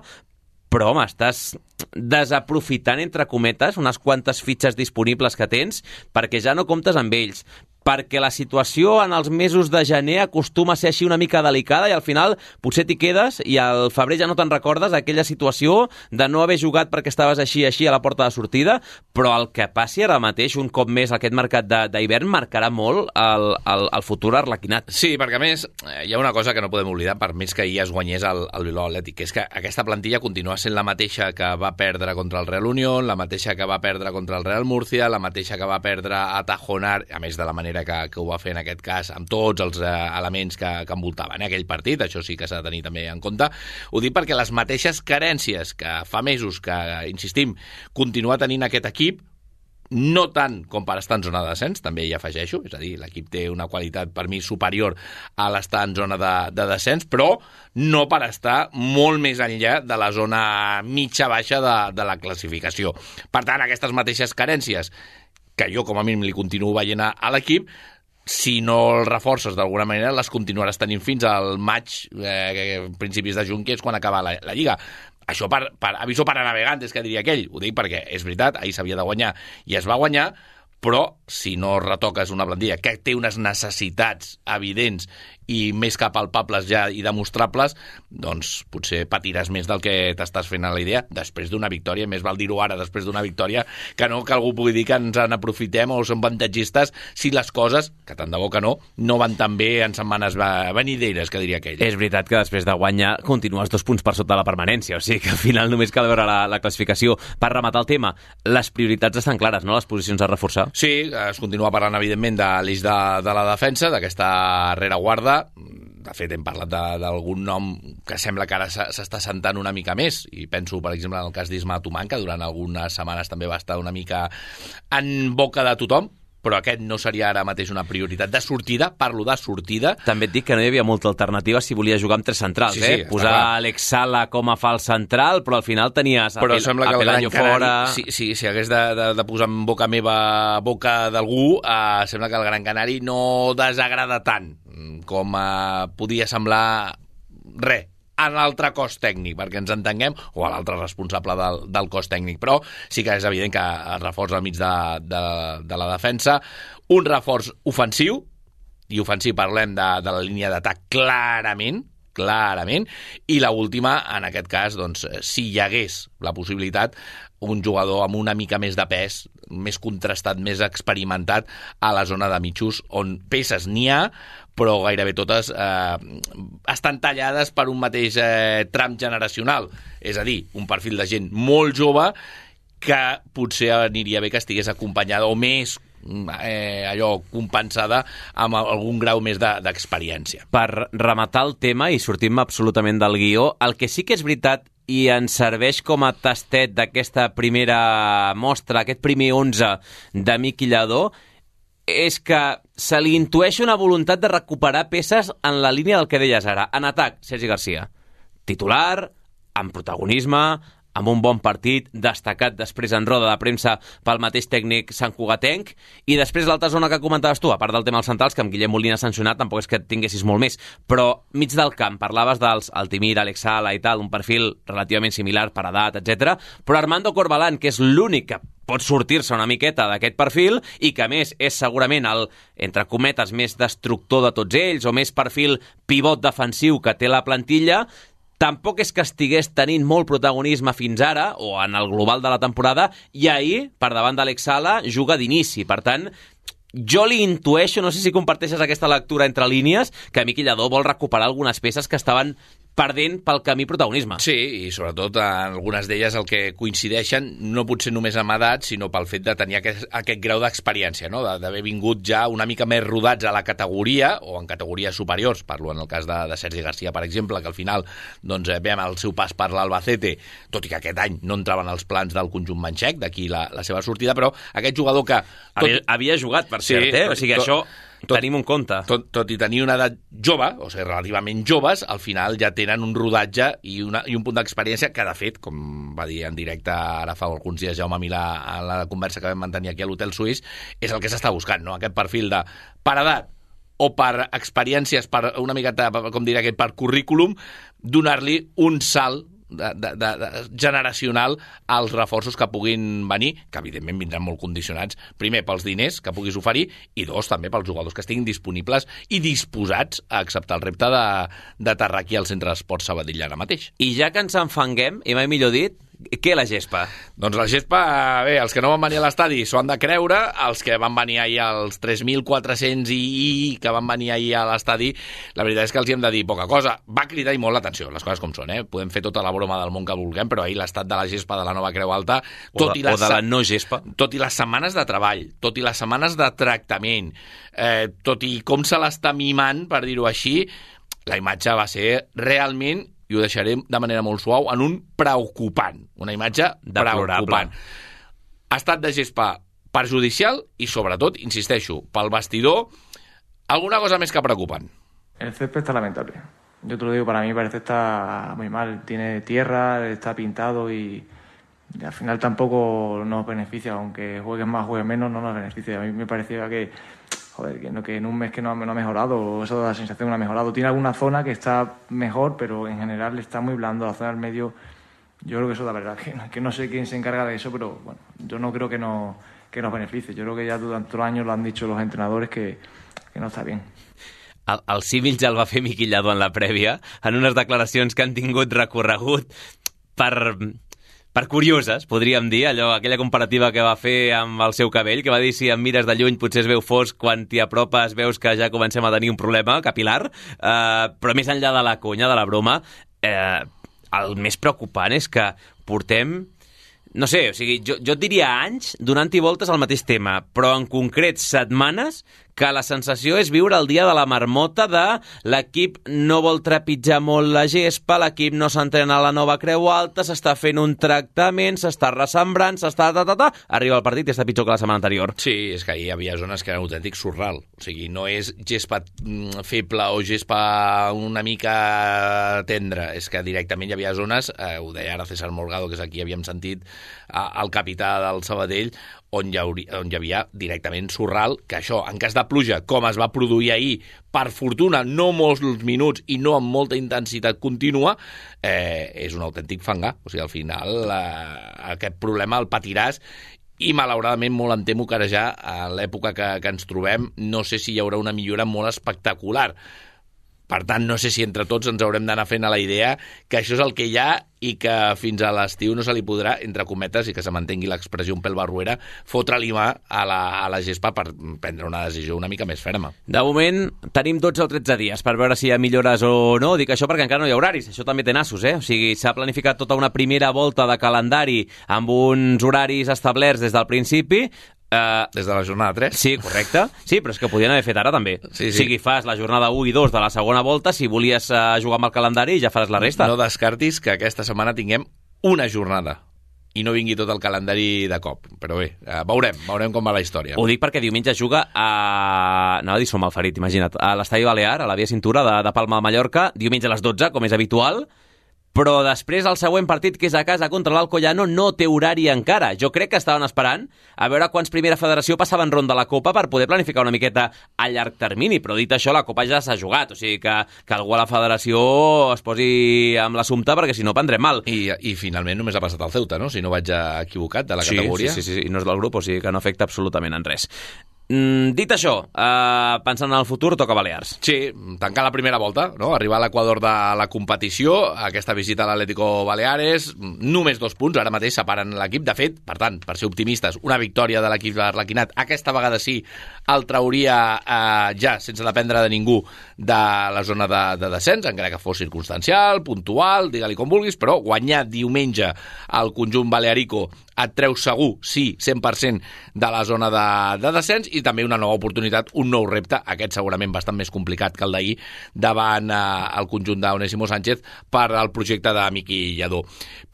però, home, estàs desaprofitant, entre cometes, unes quantes fitxes disponibles que tens perquè ja no comptes amb ells, perquè la situació en els mesos de gener acostuma a ser així una mica delicada i al final potser t'hi quedes i al febrer ja no te'n recordes d'aquella situació de no haver jugat perquè estaves així així a la porta de sortida, però el que passi ara mateix, un cop més aquest mercat d'hivern, marcarà molt el, el, el futur arlequinat. Sí, perquè a més hi ha una cosa que no podem oblidar, per més que ahir es guanyés el, el Bilbao Atlètic, que és que aquesta plantilla continua sent la mateixa que va perdre contra el Real Unión, la mateixa que va perdre contra el Real Murcia, la mateixa que va perdre a Tajonar, a més de la manera que, que ho va fer en aquest cas amb tots els eh, elements que, que envoltaven eh, aquell partit, això sí que s'ha de tenir també en compte. Ho dic perquè les mateixes carències que fa mesos que, insistim, continua tenint aquest equip, no tant com per estar en zona de descens, també hi afegeixo, és a dir, l'equip té una qualitat per mi superior a l'estar en zona de, de descens, però no per estar molt més enllà de la zona mitja-baixa de, de la classificació. Per tant, aquestes mateixes carències, que jo com a mínim li continuo veient a, a l'equip, si no el reforces d'alguna manera, les continuaràs tenint fins al maig, eh, principis de juny, que és quan acaba la, la Lliga. Això per, per aviso para navegantes, que diria aquell. Ho dic perquè és veritat, ahir s'havia de guanyar i es va guanyar, però si no retoques una plantilla que té unes necessitats evidents i més que palpables ja i demostrables, doncs potser patiràs més del que t'estàs fent a la idea després d'una victòria, més val dir-ho ara després d'una victòria, que no que algú pugui dir que ens en aprofitem o som avantatgistes si les coses, que tant de bo que no, no van tan bé en setmanes venideres, que diria aquell. És veritat que després de guanyar continues dos punts per sota la permanència, o sigui que al final només cal veure la, la classificació. Per rematar el tema, les prioritats estan clares, no?, les posicions a reforçar. Sí, es continua parlant evidentment de l'eix de, de la defensa, d'aquesta rereguarda. De fet, hem parlat d'algun nom que sembla que ara s'està sentant una mica més, i penso, per exemple, en el cas d'Isma Tomán, que durant algunes setmanes també va estar una mica en boca de tothom, però aquest no seria ara mateix una prioritat de sortida, parlo de sortida. També et dic que no hi havia molta alternativa si volia jugar amb tres centrals, sí, sí, eh? Posar Alex Sala com a fals central, però al final tenies però Apel sembla que el Gran Canari, fora... si, si, si hagués de, de, de posar en boca meva boca d'algú, eh, sembla que el Gran Canari no desagrada tant com eh, podia semblar res a l'altre cos tècnic, perquè ens entenguem, o a l'altre responsable del, del cos tècnic, però sí que és evident que el reforç al mig de, de, de la defensa, un reforç ofensiu, i ofensiu parlem de, de la línia d'atac clarament, clarament, i l'última, en aquest cas, doncs, si hi hagués la possibilitat, un jugador amb una mica més de pes, més contrastat, més experimentat a la zona de mitjos, on peces n'hi ha, però gairebé totes eh, estan tallades per un mateix eh, tram generacional. És a dir, un perfil de gent molt jove que potser aniria bé que estigués acompanyada o més eh, allò compensada amb algun grau més d'experiència. Per rematar el tema i sortim absolutament del guió, el que sí que és veritat i ens serveix com a tastet d'aquesta primera mostra, aquest primer onze de Miqui Lladó, és que se li intueix una voluntat de recuperar peces en la línia del que deies ara. En atac, Sergi Garcia. Titular, amb protagonisme, amb un bon partit, destacat després en roda de premsa pel mateix tècnic santcugatenc, i després l'altra zona que comentaves tu, a part del tema dels centrals, que amb Guillem Molina sancionat, tampoc és que et tinguessis molt més, però mig del camp, parlaves dels Altimir, Alex Sala i tal, un perfil relativament similar per edat, etcètera, però Armando Corbalán, que és l'únic que pot sortir-se una miqueta d'aquest perfil i que, a més, és segurament el, entre cometes, més destructor de tots ells o més perfil pivot defensiu que té la plantilla, tampoc és que estigués tenint molt protagonisme fins ara o en el global de la temporada, i ahir, per davant d'Alex Sala, juga d'inici. Per tant, jo li intueixo, no sé si comparteixes aquesta lectura entre línies, que Miqui Lladó vol recuperar algunes peces que estaven perdent pel camí protagonisme. Sí, i sobretot en algunes d'elles el que coincideixen no pot ser només amb edat, sinó pel fet de tenir aquest, aquest grau d'experiència, no? d'haver vingut ja una mica més rodats a la categoria, o en categories superiors, parlo en el cas de, de Sergi Garcia, per exemple, que al final doncs, veiem el seu pas per l'Albacete, tot i que aquest any no entraven els plans del conjunt manxec, d'aquí la, la seva sortida, però aquest jugador que... Tot... Havia, havia jugat, per cert, sí, eh? O sigui, tot... això... Tot, tenim un compte. Tot, tot i tenir una edat jove, o sigui, relativament joves, al final ja tenen un rodatge i, una, i un punt d'experiència que, de fet, com va dir en directe ara fa alguns dies Jaume Milà a la conversa que vam mantenir aquí a l'Hotel Suís, és el que s'està buscant, no? Aquest perfil de, per edat o per experiències, per una miqueta, com diria aquest, per currículum, donar-li un salt De, de, de, de, generacional als reforços que puguin venir, que evidentment vindran molt condicionats, primer pels diners que puguis oferir i dos, també pels jugadors que estiguin disponibles i disposats a acceptar el repte de, de aterrar aquí al Centre d'Esports Sabadell ara mateix. I ja que ens enfanguem, i mai millor dit, què la gespa? Doncs la gespa, bé, els que no van venir a l'estadi s'ho han de creure, els que van venir ahir als tres mil quatre-cents i, i que van venir ahir a l'estadi, la veritat és que els hi hem de dir poca cosa. Va cridar i molt l'atenció, les coses com són, eh? Podem fer tota la broma del món que vulguem, però ahir l'estat de la gespa de la nova Creu Alta, tot o de, i les, o de la no gespa, tot i les setmanes de treball, tot i les setmanes de tractament, eh, tot i com se l'està mimant, per dir-ho així, la imatge va ser realment, i ho deixarem de manera molt suau, en un preocupant. Una imatge preocupant. Estat de gespa perjudicial i, sobretot, insisteixo, pel vestidor, alguna cosa més que preocupant. El césped está lamentable. Yo te lo digo, para mí parece que está muy mal. Tiene tierra, está pintado y, y al final tampoco nos beneficia. Aunque juegues más, juegues menos, no nos beneficia. A mí me parecía que... Joder, que, no, que en un mes que no, no ha mejorado, eso da la sensación que no ha mejorado. Tiene alguna zona que está mejor, pero en general está muy blando. La zona del medio, yo creo que eso la verdad, que, que no sé quién se encarga de eso, pero bueno, yo no creo que, no, que nos beneficie. Yo creo que ya durante los años lo han dicho los entrenadores que, que no está bien. El, el símil ja el va fer Miqui Lladó en la prèvia, en unes declaracions que han tingut recorregut per... per curioses, podríem dir, allò, aquella comparativa que va fer amb el seu cabell, que va dir si em mires de lluny potser es veu fosc, quan t'hi apropes veus que ja comencem a tenir un problema capilar, eh, però més enllà de la conya, de la broma, eh, el més preocupant és que portem, no sé, o sigui, jo, jo et diria anys donant-hi voltes al mateix tema, però en concret setmanes que la sensació és viure el dia de la marmota de l'equip no vol trepitjar molt la gespa, l'equip no s'entrena a la nova Creu Alta, s'està fent un tractament, s'està ressembrant, s'està... Ta, ta, ta, arriba el partit i està pitjor que la setmana anterior. Sí, és que hi havia zones que eren autèntic surral. O sigui, no és gespa feble o gespa una mica tendra, és que directament hi havia zones, eh, ho deia ara César Morgado, que és aquí havíem sentit, eh, el capità del Sabadell, on hi, hauria, on hi havia directament surral, que això, en cas de pluja, com es va produir ahir, per fortuna, no molts minuts i no amb molta intensitat contínua, eh, és un autèntic fangar. O sigui, al final, eh, aquest problema el patiràs i, malauradament, molt em temo que ara ja, a l'època que, que ens trobem, no sé si hi haurà una millora molt espectacular. Per tant, no sé si entre tots ens haurem d'anar fent a la idea que això és el que hi ha i que fins a l'estiu no se li podrà, entre cometes, i que se mantengui l'expressió un pèl barruera, fotre-li mà a la, a la gespa per prendre una decisió una mica més ferma. De moment, tenim dotze o tretze dies per veure si hi ha millores o no. Dic això perquè encara no hi ha horaris. Això també té nassos, eh? O sigui, s'ha planificat tota una primera volta de calendari amb uns horaris establerts des del principi. Uh, Des de la jornada tres? Sí, correcte. Sí, però és que podien haver fet ara també. Sí, sí. O sigui, fas la jornada u i dos de la segona volta, si volies uh, jugar amb el calendari ja faràs la resta. No descartis que aquesta setmana tinguem una jornada i no vingui tot el calendari de cop. Però bé, uh, veurem, veurem com va la història. Ho dic perquè diumenge juga a... Anava a dir som Malferit, imagina't. A l'Estadi Balear, a la Via Cintura de, de Palma de Mallorca, diumenge a les dotze, com és habitual. però després el següent partit, que és a casa contra l'Alcoyano, no té horari encara. Jo crec que estaven esperant a veure quants Primera Federació passaven ronda a la Copa per poder planificar una miqueta a llarg termini, però dit això, la Copa ja s'ha jugat, o sigui que, que algú a la Federació es posi amb l'assumpte, perquè si no prendrem mal. I, I finalment només ha passat el Ceuta, no? Si no vaig equivocat, de la sí, categoria. Sí, sí, sí, i no és del grup, o sigui que no afecta absolutament en res. Mm, dit això, eh, pensant en el futur, toca Balears. Sí, tancar la primera volta, no? Arribar a l'equador de la competició, aquesta visita a l'Atlético Baleares, només dos punts, ara mateix separen l'equip. De fet, per tant, per ser optimistes, una victòria de l'equip de l'Arlequinat, aquesta vegada sí, el trauria eh, ja, sense dependre de ningú, de la zona de, de descens, encara que fos circumstancial, puntual, digue-li com vulguis, però guanyar diumenge al conjunt balearico et treu segur, sí, cent per cent de la zona de, de descens, i també una nova oportunitat, un nou repte, aquest segurament bastant més complicat que el d'ahir, davant eh, el conjunt d'Onésimo Sánchez per al projecte de Miqui Lladó.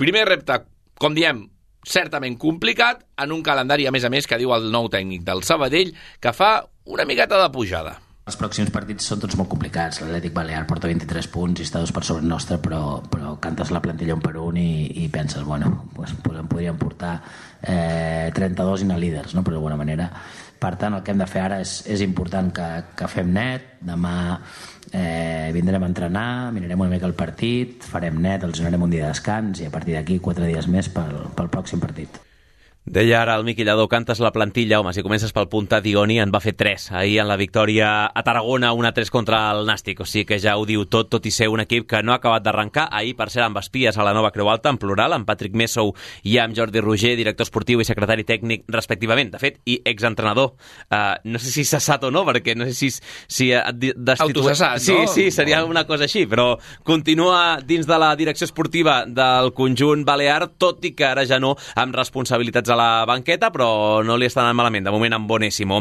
Primer repte, com diem, certament complicat, en un calendari, a més a més, que diu el nou tècnic del Sabadell, que fa una miqueta de pujada. Els pròxims partits són tots molt complicats. L'Atlètic Balear porta vint-i-tres punts i està dos per sobre nostre, però, però cantes la plantilla un per un i, i penses, bueno, pues, pues en podríem portar eh, trenta-dos i anar líders, no? Però d'alguna manera. Per tant, el que hem de fer ara és, és important que, que fem net. Demà eh, vindrem a entrenar, mirarem una mica el partit, farem net, els donarem un dia de descans i a partir d'aquí quatre dies més pel, pel pròxim partit. Deia ara el Miqui Lladó, cantes la plantilla, home, si comences pel punta, Dioni en va fer tres ahir en la victòria a Tarragona, un a tres contra el Nàstic, o sigui que ja ho diu tot, tot i ser un equip que no ha acabat d'arrencar. Ahir, per cert, amb espies a la Nova Creu Alta, en plural, amb Patrick Messou i amb Jordi Roger, director esportiu i secretari tècnic, respectivament. De fet, i exentrenador. Uh, no sé si cessat o no, perquè no sé si... si Autocessat, sí, no? Sí, sí, seria una cosa així, però continua dins de la direcció esportiva del conjunt balear, tot i que ara ja no amb responsabilitats a la banqueta, però no li està anant malament, de moment amb Onésimo.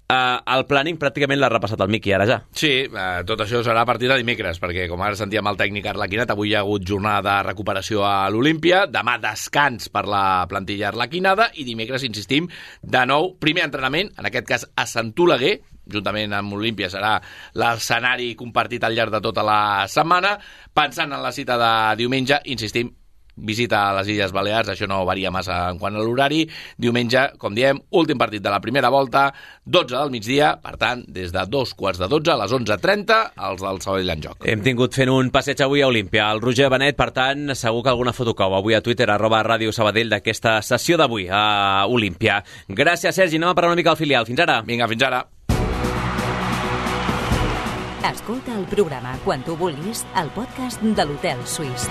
Uh, el planning pràcticament l'ha repassat el Miqui, ara ja. Sí, uh, tot això serà a partir de dimecres, perquè com ara sentíem el tècnic Arlequinat, avui hi ha hagut jornada de recuperació a l'Olímpia, demà descans per la plantilla arlequinada i dimecres, insistim, de nou, primer entrenament, en aquest cas a Sant Oleguer, juntament amb Olímpia serà l'escenari compartit al llarg de tota la setmana. Pensant en la cita de diumenge, insistim, visita a les Illes Balears, això no varia massa en quant a l'horari. Diumenge, com diem, últim partit de la primera volta, dotze del migdia, per tant, des de dos quarts de dotze a les onze trenta, els del Sabadell en joc. Hem tingut fent un passeig avui a Olímpia. El Roger Benet, per tant, segur que alguna foto cau avui a Twitter, arroba Ràdio Sabadell, d'aquesta sessió d'avui a Olímpia. Gràcies, Sergi. Anem a parlar una mica al filial. Fins ara. Vinga, fins ara. Escolta el programa quan tu vulguis al podcast de l'Hotel Suís.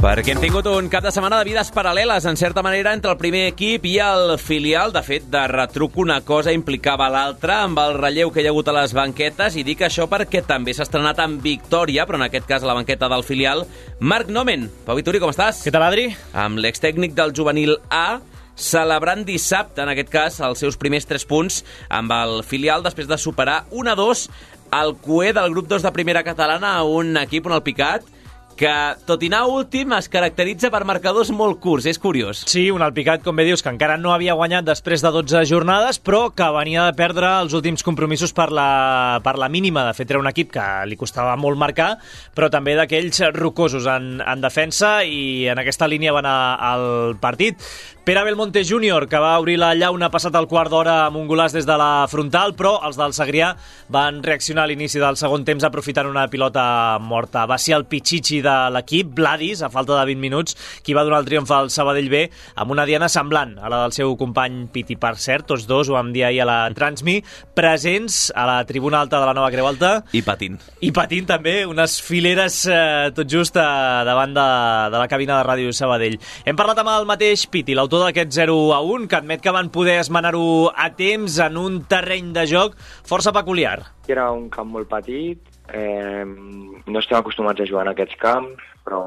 Perquè hem tingut un cap de setmana de vides paral·leles, en certa manera, entre el primer equip i el filial. De fet, de retruc una cosa implicava l'altra, amb el relleu que hi ha hagut a les banquetes, i dic això perquè també s'ha estrenat amb victòria, però en aquest cas a la banqueta del filial, Marc Nomen. Pau Vituri, com estàs? Què tal, Adri? Amb l'extècnic del juvenil A, celebrant dissabte, en aquest cas, els seus primers tres punts amb el filial, després de superar un a dos al cué del grup dos de primera catalana, a un equip on el Picat, que, tot i anar últim, es caracteritza per marcadors molt curts. És curiós. Sí, un Alpicat, com bé dius, que encara no havia guanyat després de dotze jornades, però que venia de perdre els últims compromisos per la, per la mínima. De fet, era un equip que li costava molt marcar, però també d'aquells rocosos en, en defensa, i en aquesta línia va anar al partit. Pere Belmonte júnior, que va obrir la llauna passat el quart d'hora amb un golaç des de la frontal, però els del Segrià van reaccionar a l'inici del segon temps aprofitant una pilota morta. Va ser el Pichichi de l'equip, Vladis, a falta de vint minuts, qui va donar el triomf al Sabadell B amb una diana semblant a la del seu company Piti. Per cert, tots dos, ho vam dir ahir a la Transmi, presents a la tribuna alta de la Nova Creu Alta. I patint. I patint també, unes fileres eh, tot just eh, davant de, de la cabina de Ràdio Sabadell. Hem parlat amb el mateix Piti, l'autor d'aquest zero a un, que admet que van poder esmenar-ho a temps en un terreny de joc força peculiar. Era un camp molt petit, eh, no estem acostumats a jugar en aquests camps, però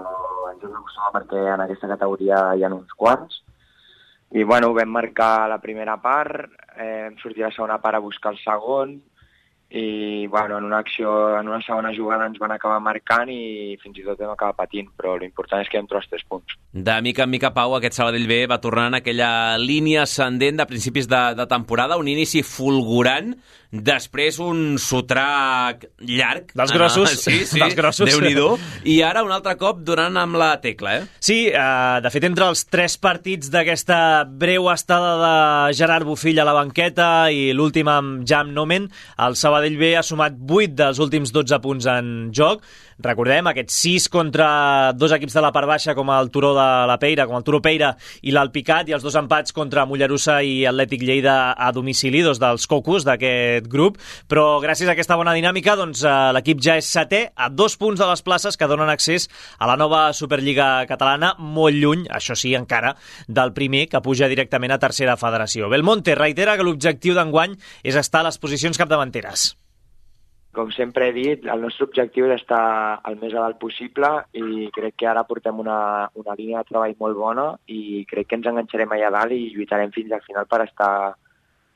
ens hem d'acostumar perquè en aquesta categoria hi ha uns quants. I bueno, vam marcar la primera part, eh, hem sortit a la segona part a buscar el segon, i bueno, en una acció, en una segona jugada ens van acabar marcant i fins i tot vam acabar patint, però l'important és que hem trobat tres punts. De mica en mica, Pau, aquest Sabadell B va tornant en aquella línia ascendent de principis de, de temporada, un inici fulgurant, després un sotrac llarg. Dels grossos. Ah, sí, sí, dels grossos. Déu-n'hi-do. I ara un altre cop donant amb la tecla, eh? Sí, eh, de fet, entre els tres partits d'aquesta breu estada de Gerard Bofill a la banqueta i l'últim amb Jan Nomen, el Sabadell B ha sumat vuit dels últims dotze punts en joc. Recordem aquests sis contra dos equips de la part baixa com el Turó de la Peira, com el Turó Peira i l'Alpicat, i els dos empats contra Mollerussa i Atlètic Lleida a domicili, dos dels cocos d'aquest grup. Però gràcies a aquesta bona dinàmica, doncs, l'equip ja és setè a dos punts de les places que donen accés a la nova Superliga catalana, molt lluny, això sí, encara, del primer que puja directament a tercera federació. Belmonte reitera que l'objectiu d'enguany és estar a les posicions capdavanteres. Com sempre he dit, el nostre objectiu és estar el més a dalt possible i crec que ara portem una, una línia de treball molt bona i crec que ens enganxarem allà dalt i lluitarem fins al final per estar,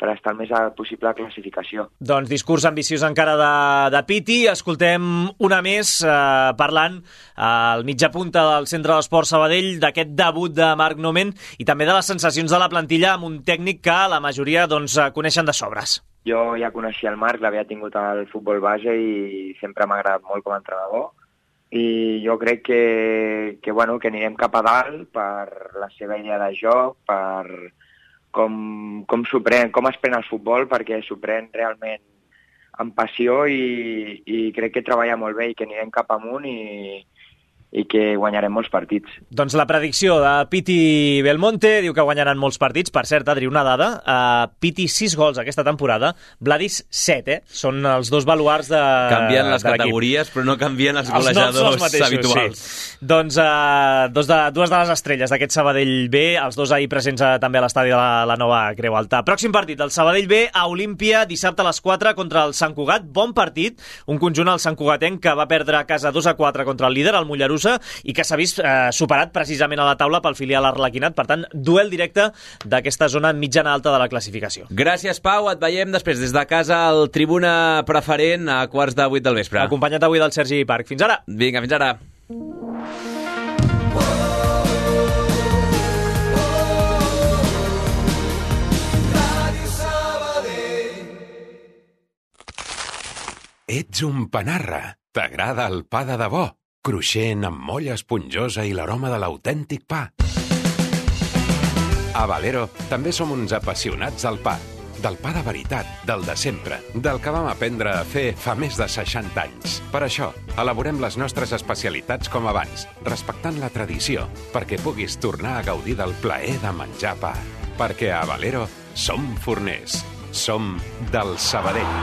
per estar el més a dalt possible a classificació. Doncs discurs ambiciós encara de, de Piti. Escoltem una més eh, parlant al mitja punta del Centre d'Esport Sabadell d'aquest debut de Marc Nomen i també de les sensacions de la plantilla amb un tècnic que la majoria doncs, coneixen de sobres. Jo ja coneixia el Marc, l'havia tingut al futbol base i sempre m'ha agradat molt com a entrenador. I jo crec que, que, bueno, que anirem cap a dalt per la seva idea de joc, per com, com, pren, com es pren el futbol, perquè s'ho pren realment amb passió i, i crec que treballa molt bé i que anirem cap amunt i, i que guanyarem molts partits. Doncs la predicció de Piti Belmonte diu que guanyaran molts partits. Per cert, Adri, una dada, uh, Piti sis gols aquesta temporada, Vladis set, eh? Són els dos baluars de Canvien les de categories, però no canvien els golejadors els mateixos, habituals. Sí. Doncs uh, dos de, dues de les estrelles d'aquest Sabadell B, els dos ahir presents uh, també a l'estadi de la, la nova Creu Alta. Pròxim partit, el Sabadell B a Olímpia, dissabte a les quatre contra el Sant Cugat. Bon partit, un conjunt al Sant Cugatenc que va perdre a casa dos a quatre contra el líder, el Mollerussa, i que s'ha vist eh, superat precisament a la taula pel filial arlequinat. Per tant, duel directe d'aquesta zona mitjana alta de la classificació. Gràcies, Pau. Et veiem després des de casa al Tribuna Preferent a quarts de vuit del vespre. Acompanyat avui del Sergi Parc. Fins ara. Vinga, fins ara. Ets un panarra. T'agrada el pa de debò? Cruixent, amb molla esponjosa i l'aroma de l'autèntic pa. A Valero també som uns apassionats del pa. Del pa de veritat, del de sempre, del que vam aprendre a fer fa més de seixanta anys. Per això, elaborem les nostres especialitats com abans, respectant la tradició, perquè puguis tornar a gaudir del plaer de menjar pa. Perquè a Valero som forners. Som del Sabadell.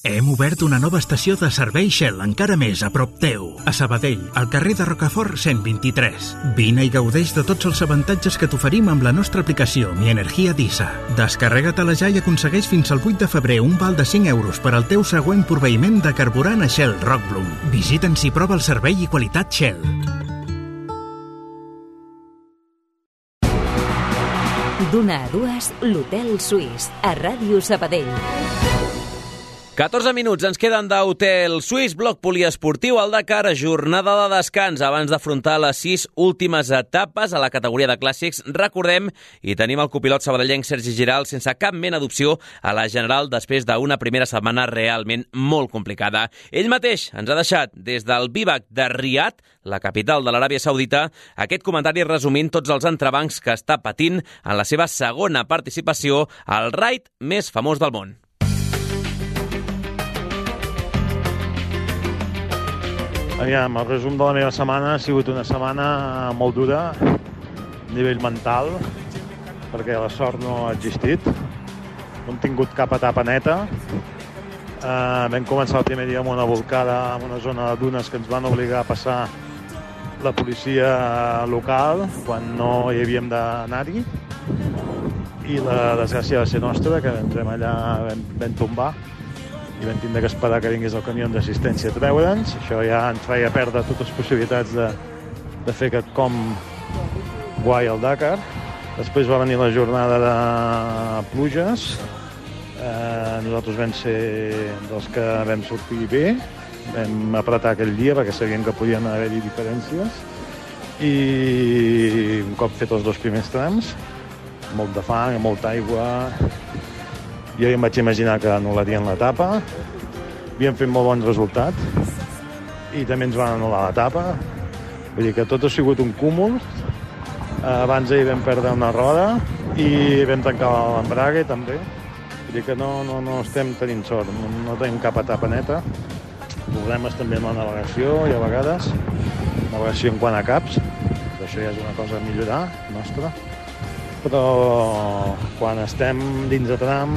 Hem obert una nova estació de servei Shell encara més a prop teu. A Sabadell, al carrer de Rocafort cent vint-i-tres. Vine i gaudeix de tots els avantatges que t'oferim amb la nostra aplicació Mi Energia Disa. Descarrega-te-la ja i aconsegueix fins al vuit de febrer un val de cinc euros per al teu següent proveïment de carburant a Shell Rockbloom. Visita'ns i prova el servei i qualitat Shell. D'una a dues, l'Hotel Suís, a Ràdio Sabadell. catorze minuts ens queden d'Hotel Suís, bloc poliesportiu al Dakar, jornada de descans abans d'afrontar les sis últimes etapes a la categoria de clàssics. Recordem, i tenim el copilot sabadellenc Sergi Giral sense cap mena d'opció a la general després d'una primera setmana realment molt complicada. Ell mateix ens ha deixat des del Bivac de Riad, la capital de l'Aràbia Saudita, aquest comentari resumint tots els entrebancs que està patint en la seva segona participació al raid més famós del món. Aviam, el resum de la meva setmana ha sigut una setmana molt dura a nivell mental, perquè la sort no ha existit. No hem tingut cap etapa neta. Uh, vam començar el primer dia amb una volcada en una zona de dunes que ens van obligar a passar la policia local quan no hi havíem d'anar-hi. I la desgràcia va ser nostra, que entrem allà, vam, vam tombar i vam tindre que esperar que vingués el camió d'assistència a treure'ns. Això ja ens feia perdre totes les possibilitats de, de fer aquest com guai al Dakar. Després va venir la jornada de pluges, Eh, nosaltres vam ser dels que vam sortir bé, vam apretar aquell dia perquè sabíem que podien haver-hi diferències i un cop fet els dos primers trams, molt de fang, molta aigua, jo ja em vaig imaginar que anul·larien l'etapa, havíem fet molt bon resultat i també ens van anul·lar l'etapa, vull dir que tot ha sigut un cúmul. Abans ahir vam perdre una roda i vam tancar l'embrague també. Vull dir que no, no, no estem tenint sort, no, no tenim cap etapa neta. Problemes també amb la navegació i a vegades navegació en quant a caps, però això ja és una cosa a millorar, nostra. Però quan estem dins de tram,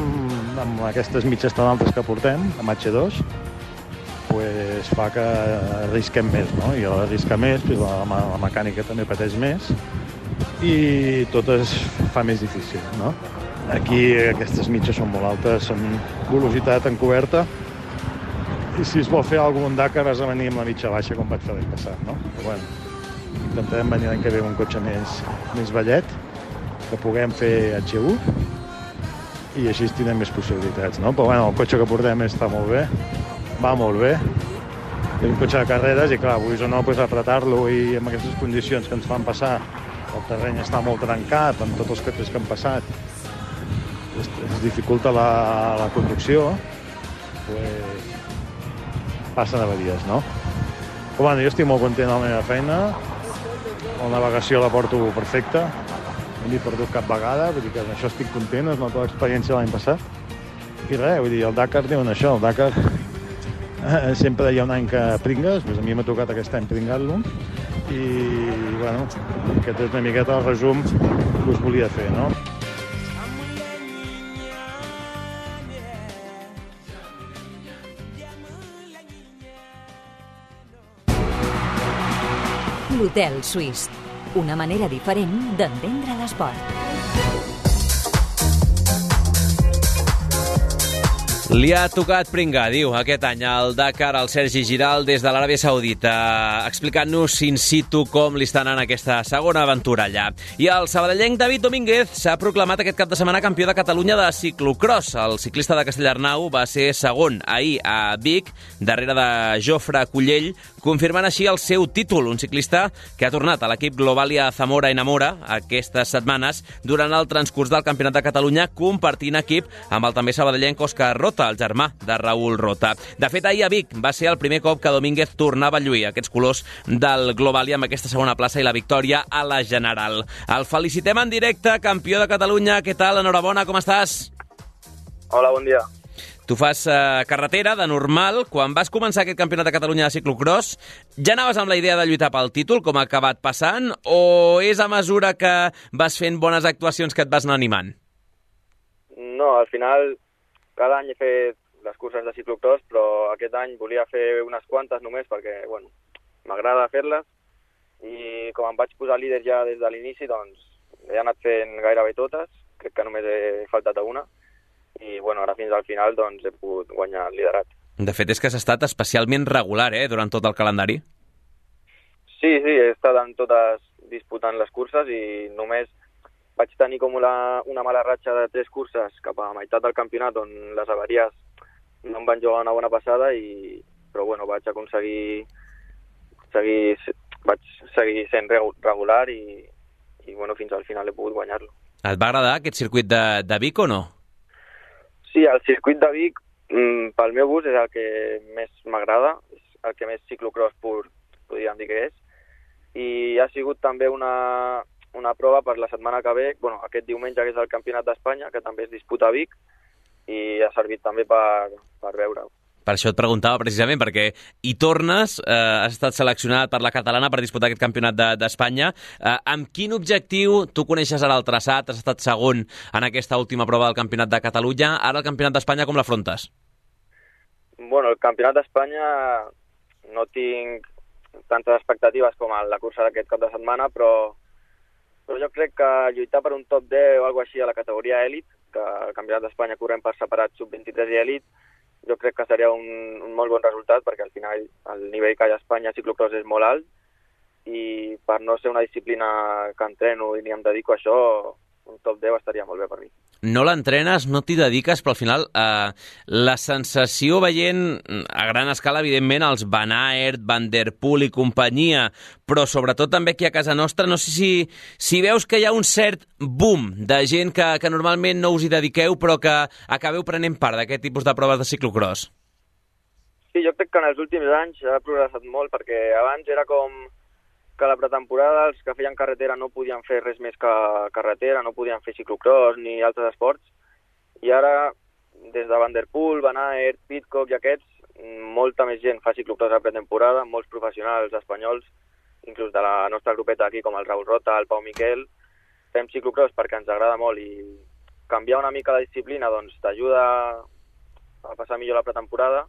amb aquestes mitges tan altes que portem, amb hache dos, pues fa que arrisquem més, no? I a l'arriscar més, pues la, la mecànica també pateix més i tot es fa més difícil, no? Aquí aquestes mitges són molt altes, són velocitat encoberta i si es vol fer algun Dakar has de venir amb la mitja baixa com vaig fer l'any passat, no? Però bueno, intentarem venir l'any que ve amb un cotxe més, més vellet, que puguem fer hache u i així tindrem més possibilitats, no? Però bueno, el cotxe que portem està molt bé, va molt bé, és un cotxe de carreres i clar, vulguis o no, pues, apretar-lo i amb aquestes condicions que ens fan passar, el terreny està molt trencat amb tots els cotxes que han passat, es, es dificulta la, la conducció, pues, passen avaries, no? Però bueno, jo estic molt content de la meva feina, la navegació la porto perfecta, no m'he perdut cap vegada, vull dir que amb això estic content, es nota l'experiència de l'any passat. I res, vull dir, el Dakar diuen això, el Dakar eh, sempre hi ha un any que pringues, doncs a mi m'ha tocat aquest any pringar-lo, i bueno, aquest és una miqueta el resum que us volia fer, no? L'Hotel Suís, una manera diferent d'entendre l'esport. Li ha tocat pringar, diu, aquest any al Dakar al Sergi Giral des de l'Aràbia Saudita, explicant-nos in situ com li està anant aquesta segona aventura allà. I el sabadellenc David Domínguez s'ha proclamat aquest cap de setmana campió de Catalunya de ciclocross. El ciclista de Castellarnau va ser segon ahir a Vic, darrere de Jofre Cullell, confirmant així el seu títol, un ciclista que ha tornat a l'equip Globalia Zamora Enamora aquestes setmanes durant el transcurs del Campionat de Catalunya, compartint equip amb el també sabadellenc Òscar Rota, el germà de Raül Rota. De fet, ahir a Vic va ser el primer cop que Domínguez tornava a lluir aquests colors del Globalia amb aquesta segona plaça i la victòria a la General. El felicitem en directe, campió de Catalunya. Què tal? Enhorabona, com estàs? Hola, bon dia. Tu fas eh, carretera, de normal. Quan vas començar aquest campionat de Catalunya de ciclocross, ja anaves amb la idea de lluitar pel títol, com ha acabat passant, o és a mesura que vas fent bones actuacions que et vas anar animant? No, al final, cada any he fet les curses de ciclocross, però aquest any volia fer unes quantes només perquè, bueno, m'agrada fer-les, i com em vaig posar líder ja des de l'inici, doncs he anat fent gairebé totes, crec que només he faltat a una, i bueno, ara fins al final doncs, he pogut guanyar el liderat. De fet, és que has estat especialment regular eh, durant tot el calendari. Sí, sí, he estat en totes disputant les curses i només vaig tenir com una, una mala ratxa de tres curses cap a la meitat del campionat on les avaries no em van jugar una bona passada, i, però bueno, vaig aconseguir seguir, vaig seguir sent regular i, i bueno, fins al final he pogut guanyar-lo. Et va agradar aquest circuit de, de Vic o no? Sí, el circuit de Vic, mm, pel meu gust, és el que més m'agrada, és el que més ciclocross pur podríem dir que és, i ha sigut també una, una prova per la setmana que ve, bueno, aquest diumenge que és el Campionat d'Espanya, que també es disputa a Vic, i ha servit també per, per veure-ho. Per això et preguntava precisament, perquè hi tornes, eh, has estat seleccionat per la catalana per disputar aquest campionat d'Espanya. De, eh, amb quin objectiu? Tu coneixes ara el traçat, has estat segon en aquesta última prova del campionat de Catalunya. Ara el campionat d'Espanya com l'afrontes? Bueno, el campionat d'Espanya no tinc tantes expectatives com en la cursa d'aquest cap de setmana, però, però jo crec que lluitar per un top deu o alguna així a la categoria èlit, que el campionat d'Espanya correm per separat sub vint-i-tres i èlit, jo crec que seria un, un molt bon resultat, perquè al final el nivell que hi ha a Espanya a ciclocross és molt alt, i per no ser una disciplina que entreno i ni em dedico a això, un top deu estaria molt bé per mi. No l'entrenes, no t'hi dediques, però al final eh, la sensació veient a gran escala, evidentment, els Van Aert, Van der Poel i companyia, però sobretot també aquí a casa nostra, no sé si, si veus que hi ha un cert boom de gent que, que normalment no us hi dediqueu, però que acabeu prenent part d'aquest tipus de proves de ciclocross. Sí, jo crec que en els últims anys ha progressat molt, perquè abans era com que a la pretemporada els que feien carretera no podien fer res més que carretera, no podien fer ciclocross ni altres esports, i ara, des de Van der Poel, Van Aert, Pidcock i aquests, molta més gent fa ciclocross a pretemporada, molts professionals espanyols, inclús de la nostra grupeta aquí, com el Raül Rota, el Pau Miquel, fem ciclocross perquè ens agrada molt i canviar una mica la disciplina doncs t'ajuda a passar millor la pretemporada,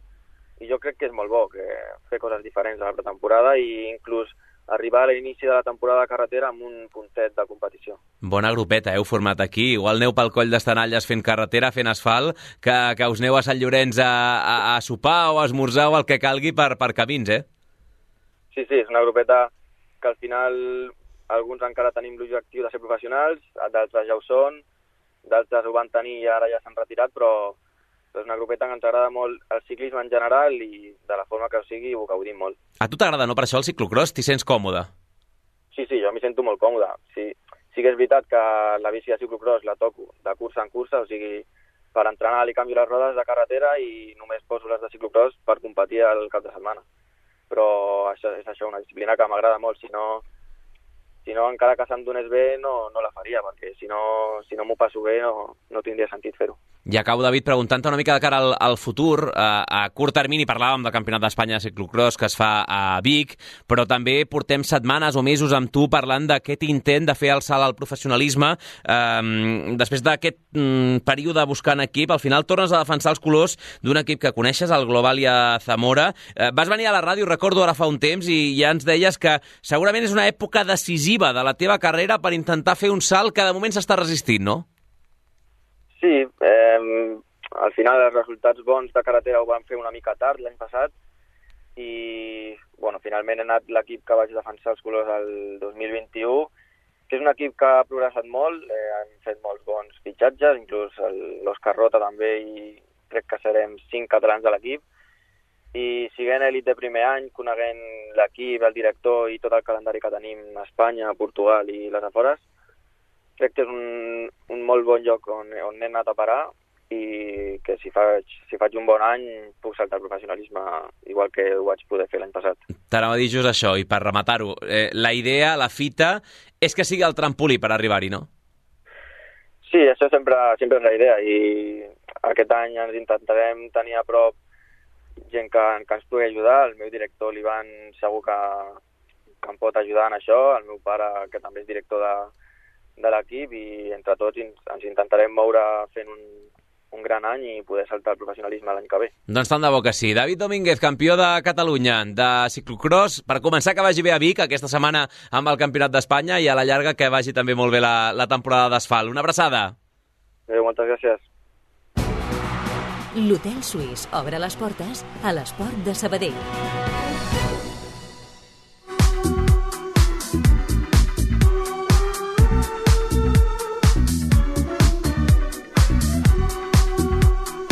i jo crec que és molt bo que fer coses diferents a la pretemporada i inclús arribar a l'inici de la temporada de carretera amb un puntet de competició. Bona grupeta, heu format aquí. Igual aneu pel coll d'Estanalles fent carretera, fent asfalt, que, que us aneu a Sant Llorenç a, a, a sopar o a esmorzar o el que calgui per, per camins, eh? Sí, sí, és una grupeta que al final alguns encara tenim l'objectiu de ser professionals, d'altres ja ho són, d'altres ho van tenir i ara ja s'han retirat, però és una grupeta que ens agrada molt el ciclisme en general i de la forma que ho sigui ho gaudim molt. A tu t'agrada, no, per això el ciclocross? T'hi sents còmode? Sí, sí, jo m'hi sento molt còmode. Sí, sí que és veritat que la bici de ciclocross la toco de cursa en cursa, o sigui, per entrenar li canvio les rodes de carretera i només poso les de ciclocross per competir el cap de setmana. Però això és això, una disciplina que m'agrada molt. Si no, si no encara que se'm donés bé, no, no la faria, perquè si no, si no m'ho passo bé no, no tindria sentit fer-ho. I acabo, David, preguntant-te una mica de cara al, al futur. Eh, a curt termini parlàvem del Campionat d'Espanya de ciclocross que es fa a Vic, però també portem setmanes o mesos amb tu parlant d'aquest intent de fer el salt al professionalisme. Eh, després d'aquest mm, període buscant equip, al final tornes a defensar els colors d'un equip que coneixes, el Globalia Zamora. Eh, vas venir a la ràdio, recordo ara fa un temps, i ja ens deies que segurament és una època decisiva de la teva carrera per intentar fer un salt que de moment s'està resistint, no? Sí, eh, al final els resultats bons de carretera ho van fer una mica tard l'any passat i bueno, finalment he anat l'equip que vaig defensar els colors el dos mil vint-i-u, que és un equip que ha progressat molt, eh, han fet molts bons fitxatges, inclús l'Òscar Rota també, i crec que serem cinc catalans de l'equip, i siguent elit de primer any, coneguent l'equip, el director i tot el calendari que tenim a Espanya, a Portugal i les afores, crec que és un, un molt bon lloc on, on he anat a parar i que si faig, si faig un bon any puc saltar al professionalisme igual que ho vaig poder fer l'any passat. T'anava a dir just això, i per rematar-ho, eh, la idea, la fita, és que sigui el trampolí per arribar-hi, no? Sí, això sempre, sempre és la idea i aquest any ens intentarem tenir a prop gent que, que ens pugui ajudar. El meu director, l'Ivan, segur que, que em pot ajudar en això, el meu pare, que també és director de de l'equip, i entre tots ens intentarem moure fent un, un gran any i poder saltar el professionalisme l'any que ve. Doncs tant de bo que sí. David Domínguez, campió de Catalunya de ciclocross. Per començar, que vagi bé a Vic aquesta setmana amb el Campionat d'Espanya i a la llarga que vagi també molt bé la, la temporada d'asfalt. Una abraçada. Adéu, moltes gràcies. L'Hotel Suís obre les portes a l'esport de Sabadell.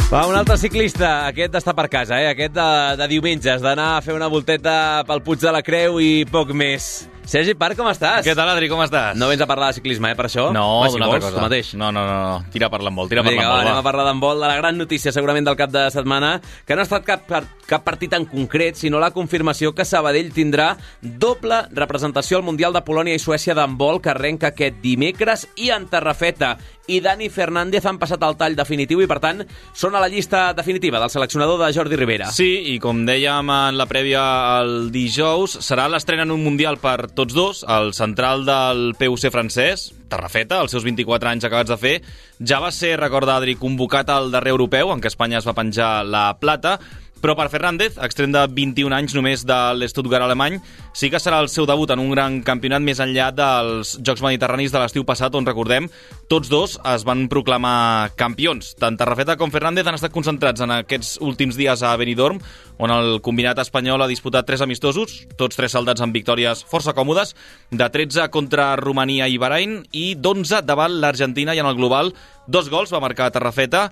Va, un altre ciclista, aquest està per casa, eh? Aquest de, de diumenges, d'anar a fer una volteta pel Puig de la Creu i poc més. Sergi Parc, com estàs? Què tal, Adri, com estàs? No vens a parlar de ciclisme, eh, per això? No, va, si d'una altra vols, cosa. tu mateix. No, no, no, no, tira per l'embol, tira per Vinga, l'embol, va. Anem a parlar d'handbol, de la gran notícia, segurament, del cap de setmana, que no ha estat cap, cap partit en concret, sinó la confirmació que Sabadell tindrà doble representació al Mundial de Polònia i Suècia d'handbol, que arrenca aquest dimecres, i en Terrafeta i Dani Fernández han passat el tall definitiu i, per tant, són a la llista definitiva del seleccionador de Jordi Rivera. Sí, i com dèiem en la prèvia el dijous, serà l'estrena en un Mundial per tots dos. El central del P U C francès, Terrafeta, als seus vint-i-quatre anys acabats de fer, ja va ser, recorda Adri, convocat al darrer europeu, en què Espanya es va penjar la plata, Però per Fernández, extrem de vint-i-un anys només de l'Stuttgart alemany, sí que serà el seu debut en un gran campionat més enllà dels Jocs Mediterranis de l'estiu passat, on, recordem, tots dos es van proclamar campions. Tant Tarrafeta com Fernández han estat concentrats en aquests últims dies a Benidorm, on el combinat espanyol ha disputat tres amistosos, tots tres saldats amb victòries força còmodes, de tretze contra Romania i Bahrain i d'onze davant l'Argentina, i en el global dos gols va marcar Tarrafeta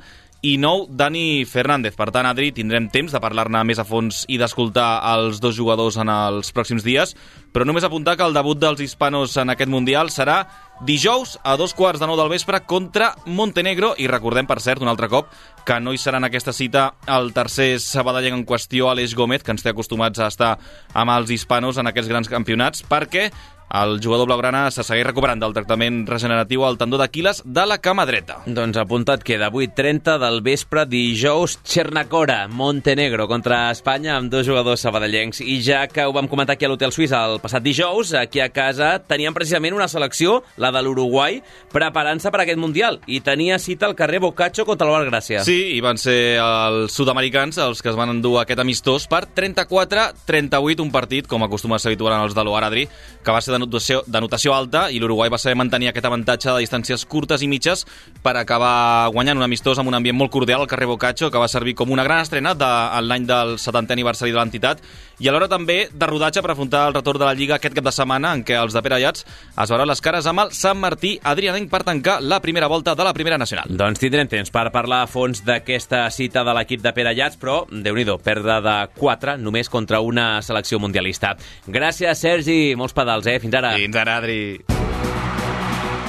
i nou Dani Fernández. Per tant, Adri, tindrem temps de parlar-ne més a fons i d'escoltar els dos jugadors en els pròxims dies, però només apuntar que el debut dels hispanos en aquest Mundial serà dijous a dos quarts de nou del vespre contra Montenegro, i recordem, per cert, un altre cop, que no hi serà en aquesta cita el tercer sabadellenc en qüestió, Aleix Gómez, que ens té acostumats a estar amb els hispanos en aquests grans campionats, perquè el jugador blaugrana se segueix recuperant del tractament regeneratiu al tendó d'Aquiles de la cama dreta. Doncs apuntat queda, vuit trenta del vespre, dijous, Chernacora, Montenegro contra Espanya, amb dos jugadors sabadellencs. I ja que ho vam comentar aquí a l'Hotel Suís el passat dijous, aquí a casa teníem precisament una selecció, la de l'Uruguai, preparant-se per aquest Mundial, i tenia cita al carrer Boccaccio contra l'Albar Gràcia. Sí, i van ser els sud-americans els que es van endur aquest amistós per trenta-quatre trenta-vuit, un partit, com acostuma a ser habitual en els de l'O A R, Adri, que va ser de notació, de notació alta, i l'Uruguai va saber mantenir aquest avantatge de distàncies curtes i mitges per acabar guanyant un amistós amb un ambient molt cordial al carrer Boccaccio, que va servir com una gran estrena de, en l'any del setantè aniversari de l'entitat, i alhora també de rodatge per afrontar el retorn de la Lliga aquest cap de setmana, en què els de Pere Ayats es veuran les cares amb el Sant Martí Adrianenc per tancar la primera volta de la Primera Nacional. Doncs tindrem temps per parlar a fons d'aquesta cita de l'equip de Pere Ayats, però, déu-n'hi-do, perdre de quatre només contra una selecció mundialista. Gràcies, Sergi. Molts pedals, eh? Fins ara. Fins ara, Adri.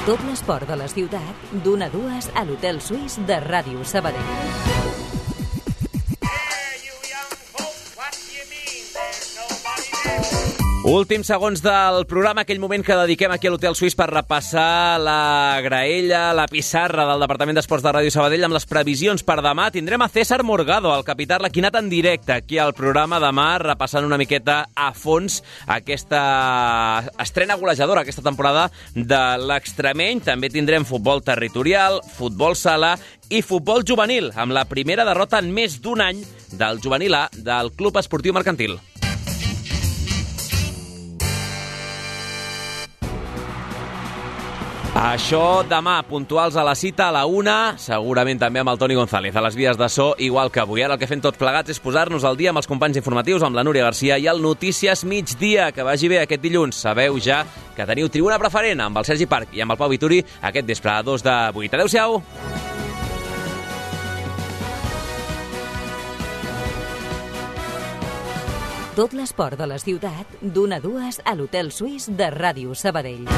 Tot l'esport de la ciutat, d'una a dues a l'Hotel Suís de Ràdio Sabadell. Últims segons del programa, aquell moment que dediquem aquí a l'Hotel Suís per repassar la graella, la pissarra del Departament d'Esports de Ràdio Sabadell amb les previsions per demà. Tindrem a César Morgado, el capità arlequinat, en directe aquí al programa demà, repassant una miqueta a fons aquesta estrena golejadora aquesta temporada de l'Extremeny. També tindrem futbol territorial, futbol sala i futbol juvenil, amb la primera derrota en més d'un any del juvenil A del Club Esportiu Mercantil. Això demà, puntuals a la cita, a la una, segurament també amb el Toni González a les vies de so, igual que avui. Ara el que fem tots plegats és posar-nos al dia amb els companys informatius, amb la Núria Garcia i el Notícies Migdia. Que vagi bé aquest dilluns. Sabeu ja que teniu tribuna preferent amb el Sergi Parc i amb el Pau Vituri aquest vespre a dos de vuit. Adéu-siau! Tot l'esport de la ciutat, d'una a dues a l'Hotel Suís de Ràdio Sabadell.